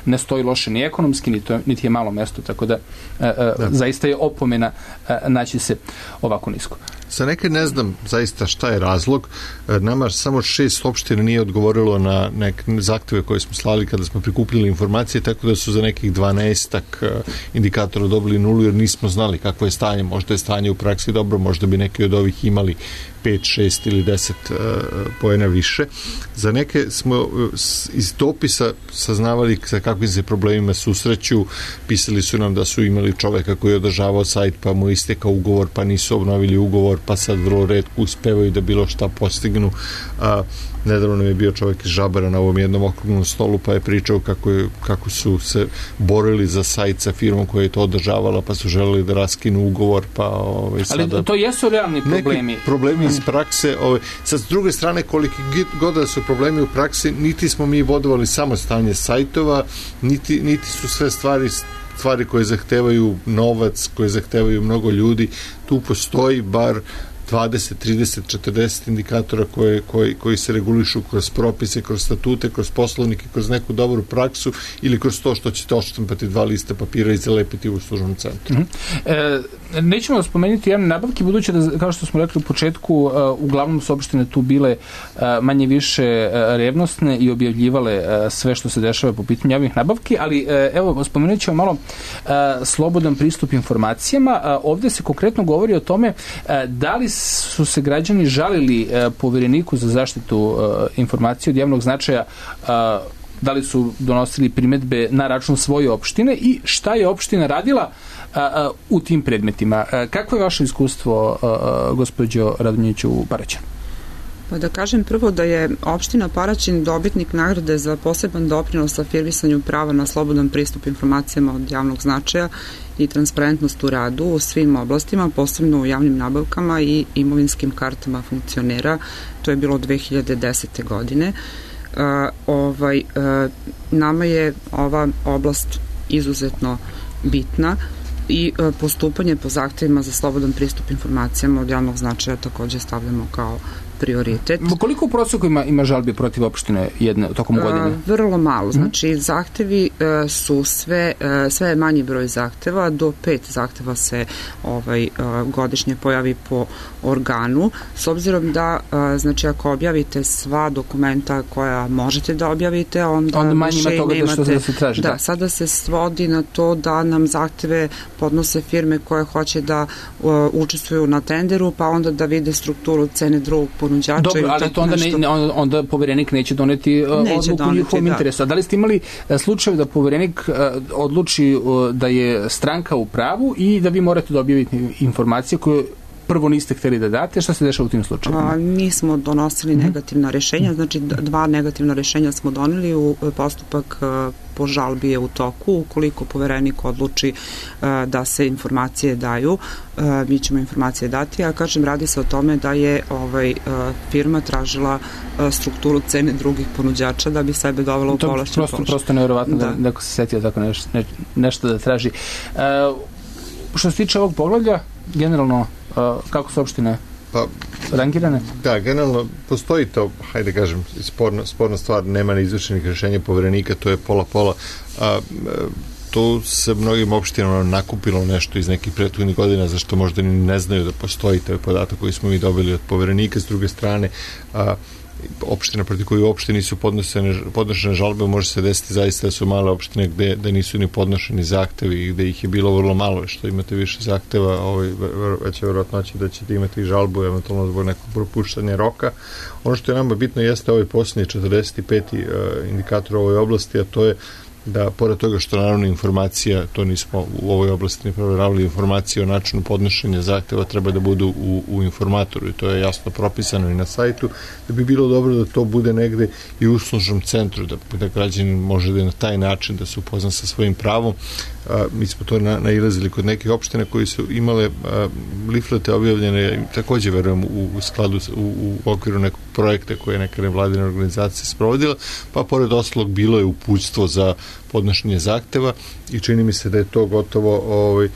Speaker 3: ne stoji loše ni ekonomski, ni to, niti je malo mesto, tako da, e, e, zaista je opomena e, naći se ovako nisko.
Speaker 4: Za neke ne znam zaista šta je razlog. Nama samo šest opština nije odgovorilo na neke zahteve koje smo slali kada smo prikupili informacije, tako da su za nekih dvanaestak indikatora dobili nulu, jer nismo znali kakvo je stanje. Možda je stanje u praksi dobro, možda bi neki od ovih imali pet, šest ili deset uh, poena više. Za neke smo uh, iz dopisa saznavali sa kakvim se problemima susreću. Pisali su nam da su imali čoveka koji je održavao sajt, pa mu istekao ugovor, pa nisu obnovili ugovor, pa sad vrlo retko uspevaju da bilo šta postignu. Uh, nedavno nam je bio čovek iz Žabara na ovom jednom okruglom stolu, pa je pričao kako, je, kako su se borili za sajt sa firmom koja je to održavala, pa su želeli da raskinu raskinu ugovor, pa ovaj, sada...
Speaker 3: Ali to jesu realni problemi.
Speaker 4: Neki problemi iz prakse. Ovaj, sad, s druge strane, koliki god da su problemi u praksi, niti smo mi bodovali samo stanje sajtova, niti, niti su sve stvari stvari koje zahtevaju novac, koje zahtevaju mnogo ljudi. Tu postoji bar dvadeset, trideset, četrdeset indikatora koje, koji, koji se regulišu kroz propise, kroz statute, kroz poslovnike, kroz neku dobru praksu ili kroz to što ćete odštampati dva lista papira i zalepiti u uslužnom centru.
Speaker 3: Mm-hmm. E, nećemo spomenuti javne nabavke, budući da, kao što smo rekli u početku, uh, uglavnom su opštine tu bile uh, manje više uh, revnosne i objavljivale uh, sve što se dešava po pitanju javnih nabavki, ali uh, evo, spomenut ćemo malo uh, slobodan pristup informacijama. Uh, ovde se konkretno govori o tome uh, da li su se građani žalili uh, Povereniku za zaštitu uh, informacije od javnog značaja, uh, da li su donosili primetbe na račun svoje opštine i šta je opština radila uh, uh, u tim predmetima. Uh, kako je vaše iskustvo, uh, gospođo Radonjić, u Paraćinu?
Speaker 5: Pa da kažem prvo da je opština Paraćin dobitnik nagrade za poseban doprinos afirmisanju prava na slobodan pristup informacijama od javnog značaja i transparentnost u radu u svim oblastima, posebno u javnim nabavkama i imovinskim kartama funkcionera. To je bilo dve hiljade desete. godine. Uh, ovaj, uh, nama je ova oblast izuzetno bitna i uh, postupanje po zahtevima za slobodan pristup informacijama od javnog značaja takođe stavljamo kao prioritet.
Speaker 3: Koliko u proseku ima, ima žalbi protiv opštine jedne tokom godine?
Speaker 5: Uh, vrlo malo. Znači, mm-hmm. zahtevi uh, su sve, uh, sve je manji broj zahteva, do pet zahteva se ovaj, uh, godišnje pojavi po organu. S obzirom da, uh, znači, ako objavite sva dokumenta koja možete da objavite, onda,
Speaker 3: onda manje ima toga da što da se traži.
Speaker 5: Da,
Speaker 3: da,
Speaker 5: sada se svodi na to da nam zahteve podnose firme koje hoće da uh, učestvuju na tenderu, pa onda da vide strukturu cene drugog ponuđača.
Speaker 3: Dobro, ali to onda, ne, onda Poverenik neće doneti uh, neće odluku u njihovom interesu. A da li ste imali uh, slučaj da Poverenik uh, odluči uh, da je stranka u pravu i da vi morate da objavite informacije koje prvo niste hteli da date? Šta se dešava u tim slučajima?
Speaker 5: Mi smo donosili mm-hmm. negativna rešenja, znači dva negativna rešenja smo doneli, u postupak uh, po žalbi je u toku. Ukoliko Poverenik odluči uh, da se informacije daju, uh, mi ćemo informacije dati, a kažem, radi se o tome da je ovaj, uh, firma tražila uh, strukturu cene drugih ponuđača da bi sebe dovela u povlašćen položaj.
Speaker 3: Prosto, prosto nevjerovatno da. da neko se setio tako neš, ne, nešto da traži. Uh, što se tiče ovog poglavlja, generalno, uh, kako su opštine pa, rangirane?
Speaker 4: Da, generalno postoji to, hajde kažem, sporna, sporna stvar, nema neizvršenih rešenja Poverenika, to je pola-pola. A, to se mnogim opštinama nakupilo nešto iz nekih prethodnih godina, zašto možda ni ne znaju da postoji taj podatak koji smo mi dobili od Poverenika. S druge strane, a, opština protiv koju uopšte nisu podnošene žalbe, može se desiti zaista da su male opštine gde, gde nisu ni podnošeni zahtevi i gde ih je bilo vrlo malo, što imate više zahteva, ovaj, veća verovatnoća da ćete imati žalbu eventualno zbog nekog propuštanja roka. Ono što je nama bitno jeste ovaj posljednji četrdeset peti uh, indikator u ovoj oblasti, a to je da, pored toga što naravno informacija, to nismo u ovoj oblasti ne provjeravali, informacije o načinu podnošenja zahteva treba da budu u, u informatoru i to je jasno propisano i na sajtu, da bi bilo dobro da to bude negde i u uslužnom centru, da, da građanin može da na taj način da se upozna sa svojim pravom. A, mi smo to na, nailazili kod nekih opština koji su imale a, liflete objavljene, takođe verujem u, u skladu u, u okviru nekog projekta koje je neka nevladina organizacija sprovodila, pa pored ostalog bilo je uputstvo za podnošenje zahteva i čini mi se da je to gotovo ovaj,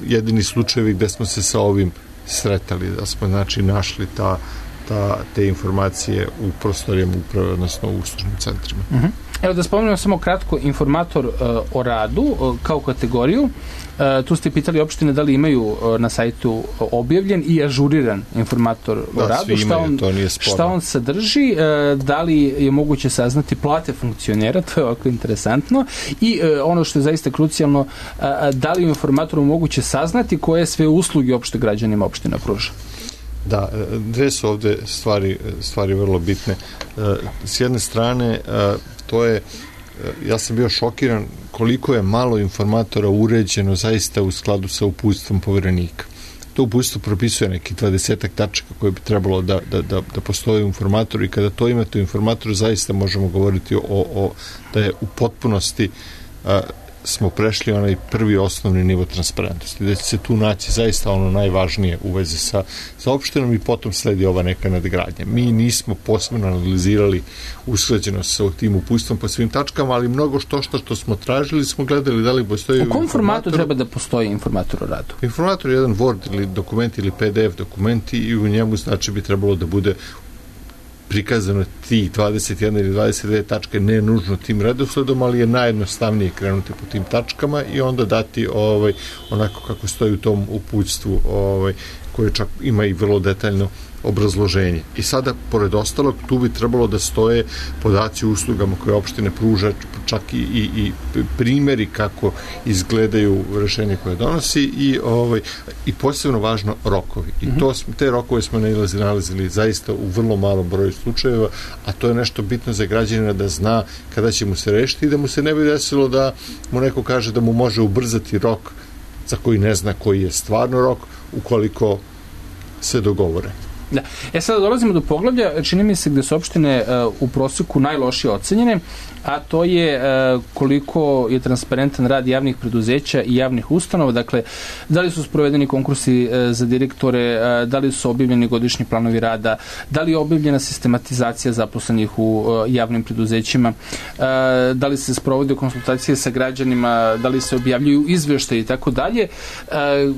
Speaker 4: jedini slučajevi gde smo se sa ovim sretali, da smo znači našli ta, ta, te informacije u prostorijama uprave, odnosno u uslužnim centrima.
Speaker 3: Uh-huh. Evo da spomenem samo kratko informator uh, o radu uh, kao kategoriju. Uh, tu ste pitali opštine da li imaju uh, na sajtu objavljen i ažuriran informator
Speaker 4: da,
Speaker 3: o radu. Šta on, šta on sadrži, uh, da li je moguće saznati plate funkcionera, to je ovako interesantno, i uh, ono što je zaista krucijalno, uh, da li je informatoru moguće saznati koje sve usluge opšte građanima opština pruža.
Speaker 4: Da, dve su ovde stvari, stvari vrlo bitne. S jedne strane, to je, ja sam bio šokiran koliko je malo informatora uređeno zaista u skladu sa uputstvom Poverenika. To uputstvo propisuje neki dvadesetak tačaka koje bi trebalo da, da, da, da postoje u informatoru i kada to imate u informatoru zaista možemo govoriti o, o da je u potpunosti a, smo prešli onaj prvi osnovni nivo transparentnosti, da će se tu naći zaista ono najvažnije u vezi sa, sa opštinom i potom sledi ova neka nadgradnja. Mi nismo posebno analizirali usklađenost sa tim uputstvom po svim tačkama, ali mnogo što što, što smo tražili smo gledali da li postoji...
Speaker 3: U kom formatu treba da postoji informator o radu?
Speaker 4: Informator je jedan Word ili dokument ili P D F dokumenti i u njemu znači bi trebalo da bude prikazano tih dvadeset jedna ili dvadeset dve tačke, ne nužno tim redosledom, ali je najjednostavnije krenuti po tim tačkama i onda dati ovaj, onako kako stoji u tom uputstvu, ovaj, koje čak ima i vrlo detaljno obrazloženje. I sada, pored ostalog, tu bi trebalo da stoje podaci o uslugama koje opštine pruža, čak i, i, i primjeri kako izgledaju rešenje koje donosi i, ovaj, i posebno važno rokovi. I to, te rokove smo nalazili zaista u vrlo malom broju slučajeva, a to je nešto bitno za građanina da zna kada će mu se rešiti i da mu se ne bi desilo da mu neko kaže da mu može ubrzati rok za koji ne zna koji je stvarno rok ukoliko se dogovore.
Speaker 3: Da. E sada dolazimo do poglavlja, čini mi se gde su opštine uh, u prosjeku najlošije ocenjene, a to je uh, koliko je transparentan rad javnih preduzeća i javnih ustanova, dakle, da li su sprovedeni konkursi uh, za direktore, uh, da li su objavljeni godišnji planovi rada, da li je objavljena sistematizacija zaposlenih u uh, javnim preduzećima, uh, da li se sprovode konsultacije sa građanima, da li se objavljuju izveštaji i tako dalje. Uh,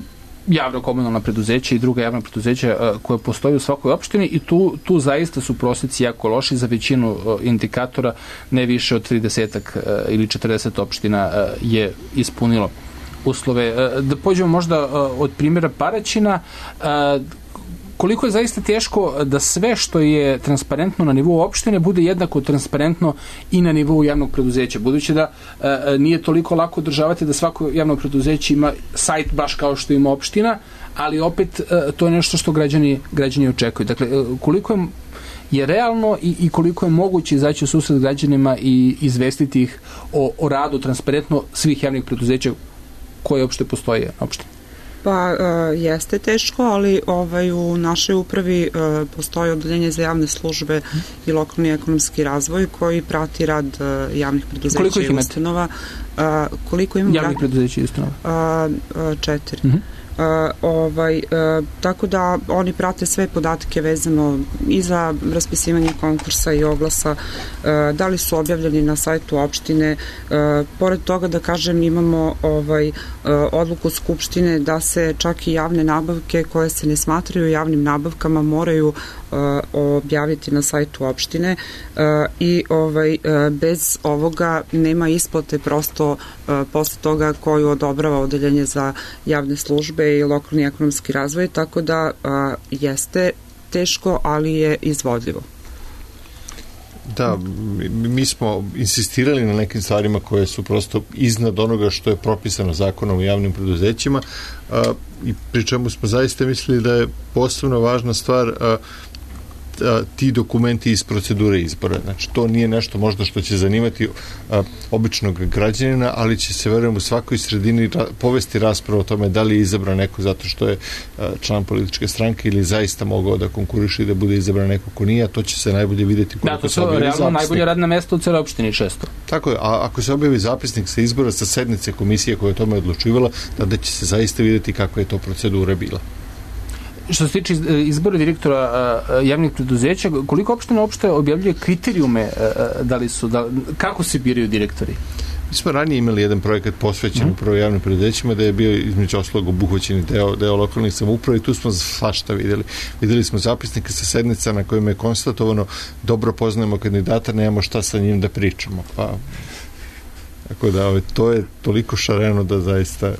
Speaker 3: javno komunalna preduzeća i druga javna preduzeća uh, koje postoje u svakoj opštini i tu, tu zaista su prosjeci jako loši za većinu uh, indikatora, ne više od trideset uh, ili četrdeset opština uh, je ispunilo uslove. Uh, da pođemo možda uh, od primjera Paraćina, uh, koliko je zaista teško da sve što je transparentno na nivou opštine bude jednako transparentno i na nivou javnog preduzeća, budući da e, nije toliko lako održavati da svako javno preduzeće ima sajt baš kao što ima opština, ali opet e, to je nešto što građani, građani očekuju. Dakle, e, koliko je, je realno i, i koliko je moguće izaći u susret građanima i izvestiti ih o, o radu transparentno svih javnih preduzeća koje opšte postoje na opštini?
Speaker 5: Pa uh, jeste teško, ali ovaj, u našoj upravi uh, postoji odeljenje za javne službe i lokalni ekonomski razvoj koji prati rad uh, javnih preduzeća i ustanova. Uh, koliko imamo?
Speaker 3: Javnih preduzeća i ustanova?
Speaker 5: Uh, uh, četiri. Uh-huh. Uh, ovaj, uh, tako da oni prate sve podatke vezano i za raspisivanje konkursa i oglasa, uh, da li su objavljeni na sajtu opštine. Uh, pored toga da kažem imamo ovaj, uh, odluku Skupštine da se čak i javne nabavke koje se ne smatraju javnim nabavkama moraju uh, objaviti na sajtu opštine uh, i ovaj, uh, bez ovoga nema isplate prosto uh, posle toga koju odobrava odeljenje za javne službe i lokalni ekonomski razvoj, tako da a, jeste teško, ali je izvodljivo.
Speaker 4: Da, mi smo insistirali na nekim stvarima koje su prosto iznad onoga što je propisano zakonom o javnim preduzećima a, i pri čemu smo zaista mislili da je posebno važna stvar a, a, ti dokumenti iz procedure izbora. Znači, to nije nešto možda što će zanimati a, običnog građanina, ali će se, verujem, u svakoj sredini ra, povesti rasprava o tome da li je izabran neko zato što je a, član političke stranke ili zaista mogao da konkuriše i da bude izabran neko ko nije, a to će se najbolje vidjeti koliko
Speaker 3: da,
Speaker 4: se objavi zapisnik. Da, to su realno
Speaker 3: najbolje radna mesta u celoj opštini često.
Speaker 4: Tako je, a ako se objavi zapisnik sa izbora sa sednice komisije koja je o tome odlučivala, tada će se zaista vidjeti kakva je to procedura bila.
Speaker 3: Što se tiče izbora direktora javnih preduzeća, koliko opština uopšte objavljuje kriterijume da li su, da, kako se biraju direktori?
Speaker 4: Mi smo ranije imali jedan projekat posvećen upravo mm. javnim preduzećima da je bio između ostalog obuhvaćeni deo, deo lokalnih samouprava i tu smo svašta videli. Videli smo zapisnike sa sednica na kojima je konstatovano dobro poznajemo kandidata, nemamo šta sa njim da pričamo. Pa, tako da, to je toliko šareno da zaista...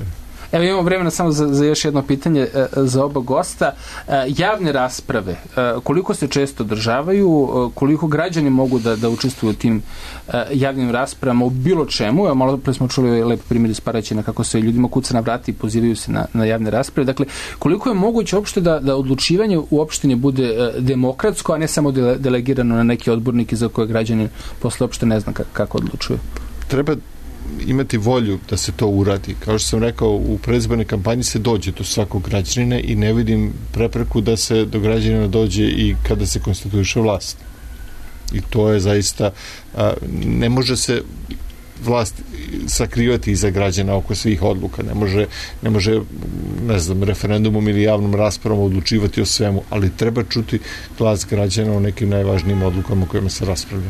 Speaker 3: Evo imamo vremena samo za, za još jedno pitanje e, za oba gosta. E, javne rasprave, e, koliko se često održavaju, e, koliko građani mogu da, da učestvuju u tim e, javnim raspravama u bilo čemu? Evo, malo pre smo čuli lep primjer iz Paraćina kako se ljudima kuca na vrati i pozivaju se na, na javne rasprave. Dakle, koliko je moguće uopšte da, da odlučivanje u opštini bude e, demokratsko, a ne samo dele, delegirano na neke odbornike za koje građani posle uopšte ne zna kako, kako odlučuju?
Speaker 4: Treba imati volju da se to uradi. Kao što sam rekao, u predizbornoj kampanji se dođe do svakog građanina i ne vidim prepreku da se do građanina dođe i kada se konstituiše vlast. I to je zaista, a, ne može se vlast sakrivati iza građana oko svih odluka. Ne može, ne može, ne znam, referendumom ili javnom raspravom odlučivati o svemu, ali treba čuti glas građana o nekim najvažnijim odlukama o kojima se raspravlja.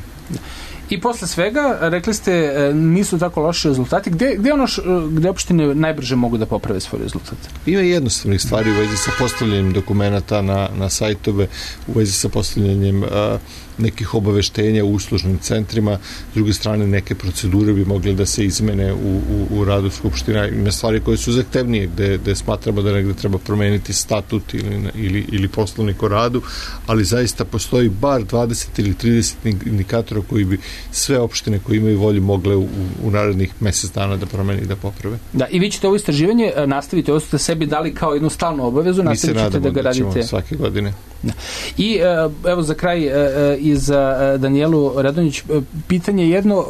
Speaker 3: I posle svega, rekli ste, nisu tako loši rezultati. Gde, gde, ono š, gde opštine najbrže mogu da poprave svoj rezultat?
Speaker 4: Ima jednostavnih stvari u vezi sa postavljanjem dokumenta na, na sajtove, u vezi sa postavljanjem a, nekih obaveštenja u uslužnim centrima. S druge strane, neke procedure bi mogle da se izmene u, u, u radu Skupština. Ima stvari koje su zahtevnije, gde, gde smatramo da negde treba promeniti statut ili, ili, ili poslovnik o radu, ali zaista postoji bar dvadeset ili trideset indikatora koji bi sve opštine koje imaju volju mogle u, u narednih mesec dana da promeni i da poprave.
Speaker 3: Da, i vi ćete ovo istraživanje nastaviti, ovo ste sebi dali kao jednu stalnu obavezu, nastavit ćete da ga radite.
Speaker 4: Mi se nadamo da ćemo svake godine.
Speaker 3: Da. I evo za kraj i za Danijelu Radonjić pitanje jedno,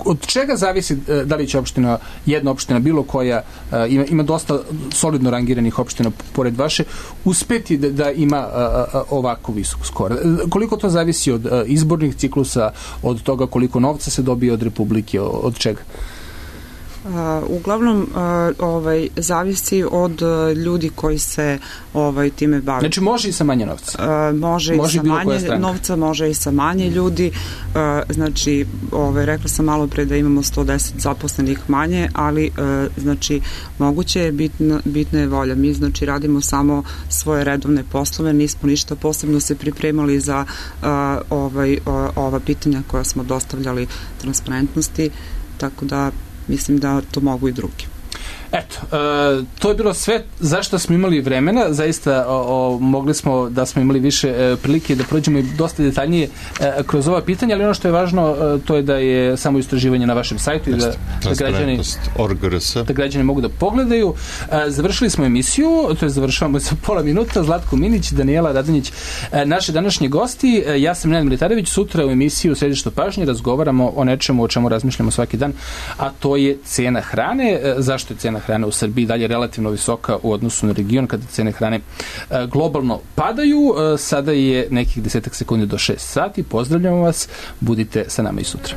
Speaker 3: od čega zavisi da li će opština, jedna opština, bilo koja, ima, ima dosta solidno rangiranih opština pored vaše, uspeti da, da ima ovako visok skor? Koliko to zavisi od izbornih ciklusa, od toga koliko novca se dobije od Republike, od čega?
Speaker 5: Uh, uglavnom uh, ovaj zavisi od uh, ljudi koji se ovaj time bave.
Speaker 3: Znači može i sa manje novca.
Speaker 5: Uh, može, može i sa manje novca, može i sa manje ljudi. Uh, znači, ovaj rekla sam malo pre da imamo sto deset zaposlenih manje, ali uh, znači moguće je, bitna, bitna je volja. Mi znači radimo samo svoje redovne poslove, nismo ništa posebno se pripremali za uh, ovaj uh, ova pitanja koja smo dostavljali transparentnosti, tako da mislim da to mogu i drugi.
Speaker 3: Eto, e, to je bilo sve zašto smo imali vremena, zaista o, o, mogli smo da smo imali više e, prilike da prođemo i dosta detaljnije e, kroz ova pitanja, ali ono što je važno e, to je da je samo istraživanje na vašem sajtu i da, da, građani, da građani mogu da pogledaju. E, završili smo emisiju, to je završavamo za pola minuta. Zlatko Minić, Danijela Radonjić, e, naše današnje gosti. E, ja sam Nenad Militarević, sutra u emisiju Središte pažnje razgovaramo o nečemu o čemu razmišljamo svaki dan, a to je cena hrane. E, zašto je cena hrane u Srbiji dalje relativno visoka u odnosu na region kada cene hrane e, globalno padaju. E, sada je nekih desetak sekundi do šest sati. Pozdravljamo vas, budite sa nama i sutra.